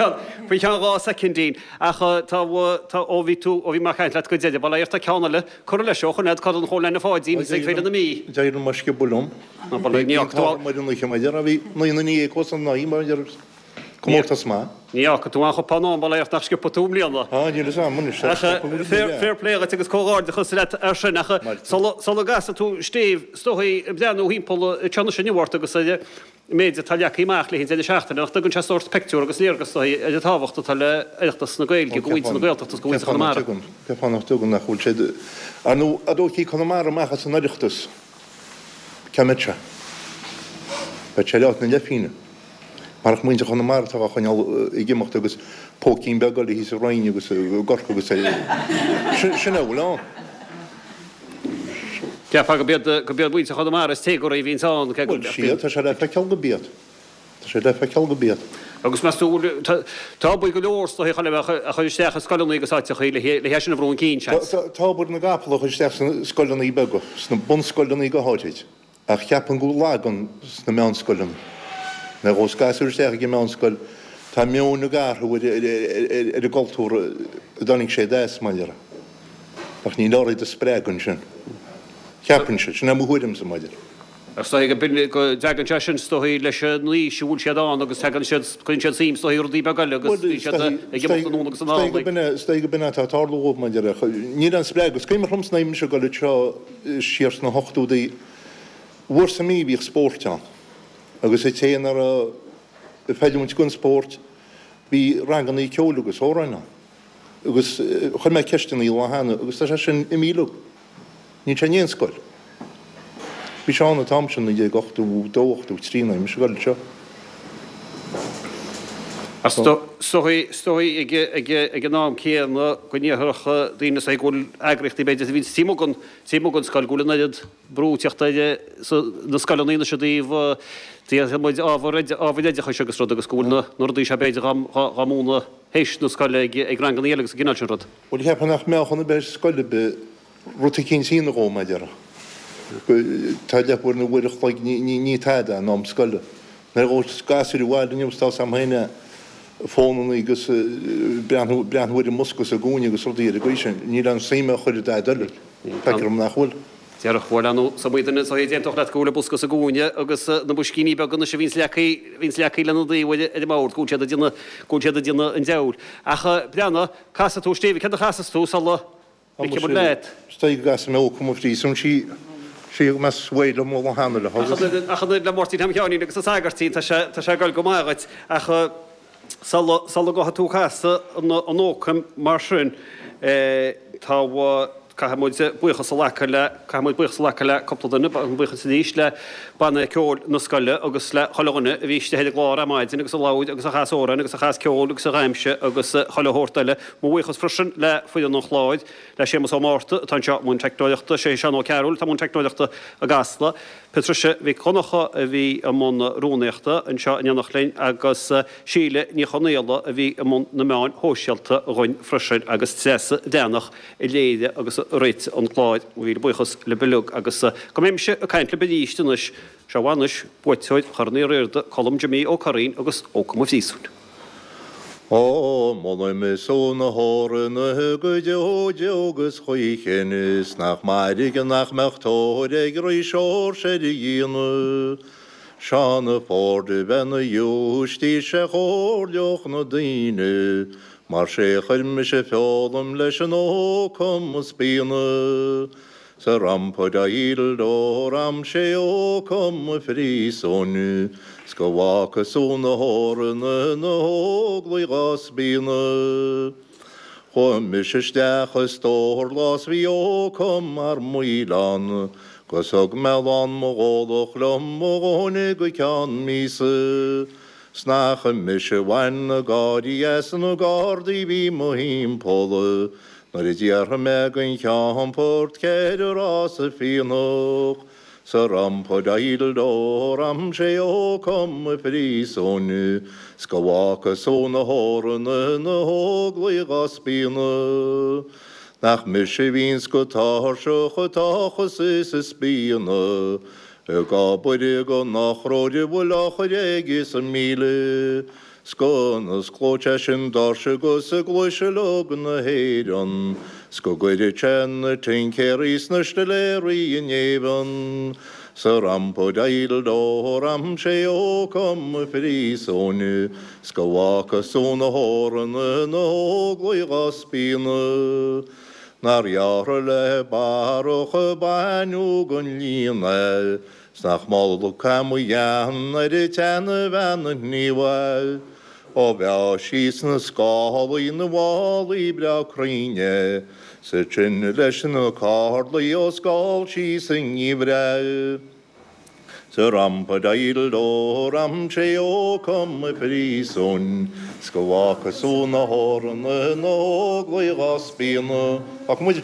cheann 2 soicindín. Ach tá, tá, ó bhí tú, ó bhí mé ag caint leat go deireadh, bail ó Dhia ort tá ceann eile curtha leis ó choimeád Corn Chóil Anna Pháidín is ag Féile na Mí. D'éirigh mo sciobadh liom. Bhí an t-ádh orm ar an oíche, mar a déarfá, bhí naoi nduine dhéag os an aghaidh, mar a déarfá. Comórtas maith. Ní fhágfaidh tú aon chupán ann, bail ó Dhia ort nach sciobfaidh tú i mbliana. Ah, níl fhios a'm anois. Ach fair play dhuit agus comhghairdeachas leat ar sin. Ach sula gcasfaidh tú stéibh, is dóigh, ag breathnú thimpeall anseo anois inniu ort agus ar an méid atá leagtha amach le haghaidh an deireadh seachtaine, nach dtugann sé sórt pictiúr agus léargas is dóigh ar an tábhacht atá le Oireachtas na Gaeilge do mhuintir na Gaeltachta agus do mhuintir Chonamara. Cén fáth nach dtugann, nach bhfuil siad, ar ndóigh, a dtógfaí Conamara amach as an Oireachtas, cá mbeadh sé? Bheadh sé leath na leithphingine. Marach muintir Chonamara atá á choinneáil ag imeacht agus póicín beag eile thíos sa Rinn agus i gCorcaigh agus sin é a bhfuil ann. Cheapfá go b'iad go b'iad muintir Chonamara is téagarthaí a bhíonns ann cé go Bhuel, sea, tá sé le feiceáil go b'iad. Tá sé le feiceáil go b'iad. Agus meas tú bhfuil tá obair go leor is dóigh a chur isteach i scoileanna agus áiteachaí le hé sin a bhrú chun cinn, seans? Tá obair na gcapall a chur isteach sna scoileanna beaga, sna bunscoileanna go háirid. Ach cheapfainn go bhfuil lag ann sna meánscoileanna. Nuair a ghabhas gasúir isteach ag an meánscoil, tá meoin ag athrú ar an gcultúr a dtáinig sé as, mar a déarfá. Ach ní leor iad a spreagadh ansin. Cheapfainnse. Sin é mo thuairimse, mar a déarfá. Ach is dóigh go dtagann sé sin, is dóigh, leis an aois a bhfuil siad ann agus tagann siad, cuireann siad suim, is dóigh, i rudaí beaga eile agus bíonn siad ag imeacht anonn agus anall. Is dóigh go b'in é atá ag tarlú dhóibh, mar a déarfá. Níl aon spreagadh. Is cuimhin liomsa nuair a bhí mise ag dul anseo siar sna hochtóidí, uair sa mí bhíodh spóirt ann agus an té nach raibh ag feiliúint don spórt bhí rangannaí ceoil agus amhráin ann. Agus chuir mé ceisteannaí lá cheana agus tá sé sin imithe uilig. Níl sé in aon scoil. Bhí sé ann an t-am sin, 1982, 83 nuair a bhí mise ag dul anseo. Is dóigh ag an am céanna go ndéarfadh daoine is dóigh go bhfuil eagraíochtaí b'fhéidir a bhíonns taobh amuigh den taobh amuigh den scoil go bhfuil an oiread brú ag teacht ar na scoileanna anois i dtaobh déarfaidh muid ábhar ábhair oideachais agus rud agus go bhfuil na rudaí seo b'fhéidir dhá múineadh théis na scoile ag ranganna eile agus an cineál sin rud. Bhuel cheapfainn nach mbeadh ann a bheith scoil ar bith rud eicínt a dhéanamh dhó, mar a déarfá. Tá leathuair nó uair a chloig, ní tada in am scoile. Nuair a ghabhas gasúir abhaile inniu is tá 's a'm féin é, fónannaí agus breathnú, breathnú ar an mbosca sa gcúinne agus rudaí ar an gcaoi sin, níl aon suim á chur i dtaid eile. Feictear dom nach bhfuil. Déarfadh, bhuel, ar ndóigh, is iomaí duine is dóigh a d'aontódh leat go bhfuil an bosca sa gcúinne agus na boiscíní beaga anois a bhíonns leagtha, a bhíonns leagtha lena dtaobh ar an mbord, go bhfuil siad ag déanamh, go bhfuil siad ag déanamh an diabhail. Ach breathnaigh, casfaidh tú, Stevie, céard a chasfas tú sula Ligfidh muid leat. Is dóigh go gcasfaidh mé Ó Cum a Phríosúin sí sí go mbeas uaidh liom ó lá cheana le Ach an oiread le Máirtín Tom Sheáinín agus an Sagairtín tá sé tá sé ag goil go maith dhuit ach sula sula ngabhfaidh tú ag casadh an Ócaim mar sin tá caithfidh muid buíochas a ghlacadh le caithfidh muid buíochas a ghlacadh le cúpla duine an buíochas arís le banna ceoil na scoile agus le chuile dhuine a bhí istigh ar an gclár ar maidin agus a labhair agus a chas amhráin agus a chas ceol agus a dhaimsigh agus chuile shórt eile. Mo bhuíochas freisin le foireann an chláir, le Séamus Ó Márta atá anseo i mbun teicneoireachta, sé Seán Ó Cearúil atá i mbun teicneoireachta i gCasla, Patricia Mhic Dhonncha a bhí i mbun rúnaíochta anseo in éineacht linn agus Síle Ní Chonaola a bhí i mbun na meáin shóisialta dhuinn freisin agus Treasa Bhreathnach a léirigh agus a réitigh an clár. Mo mhíle buíochas libh uilig agus go mbeimise ag caint libh arís anois, seo anois buaiteoir Chorn Uí Riada, Colm Jimí Ó Curraoin agus Ócam an Phríosúin. Ó, molaim sú na hÓranna go deo deo 'gus choíchin, is nach mairg nach mbeadh tóir ag Rí Seoirse ar a dhíonadh. Seán Ford a bheith 'na ghiúistís a chomhairleodh na daoine, mar 'sé chuir mise feolam leis an ócam a spíonadh. Sa rampa-daíl-dó-ram sé ócam a phríosúin, 's go bhfaca sú na hÓranna na hóglaigh dhá spíonadh. Chuaigh mise isteach i stór lá 's bhí ócam mar mhaoileán, 'gus thug mé lán mo dhólach liom mo dhóthain go ceann míosa. 'S nach mise bhain na gáirí as na gardaí bhí mo thimpeall, Nuair a d'fhiafraigh mé den Cheannfort céard a raibh sa phianach. Sa rampa-daidle-dó ram sé ó com a phríosúin 's go bhfaca sú na hÓranna na hÓglaigh dhá spíonadh. Nach mise a bhíonns go tairseach a tochas is a spíonadh ag obair go n-ochróir a bhfuil á chur aige sa míle. 'S go n-osclóidh sé sin doirse 'gus i gcluais uileag na hÉireann, 's go gcuirfidh sé na tincéaraí 's na stiléaraí in éigean. Sa rampa-daidle-dó ram sé ó com a phríosúin, 's go bhfaca sú na hÓranna na hÓglaigh dhá spíonadh. Nár ghearrtha le barrach a baineadh gon líon é, 'S nach mó cam a dhean ar an tseana-bhean an ghníomhair. Ó bheadh sí sna scálaí 'na mhálaí breá cruinn é, 's ansin leis na cárlaí ó scáil sí sa ngeimhreadh. Sa rampa-daidle-dó ram sé ó com a phríosúin, 's go bhfaca sú na hÓranna na hÓglaigh dhá spíonadh. Ach muid.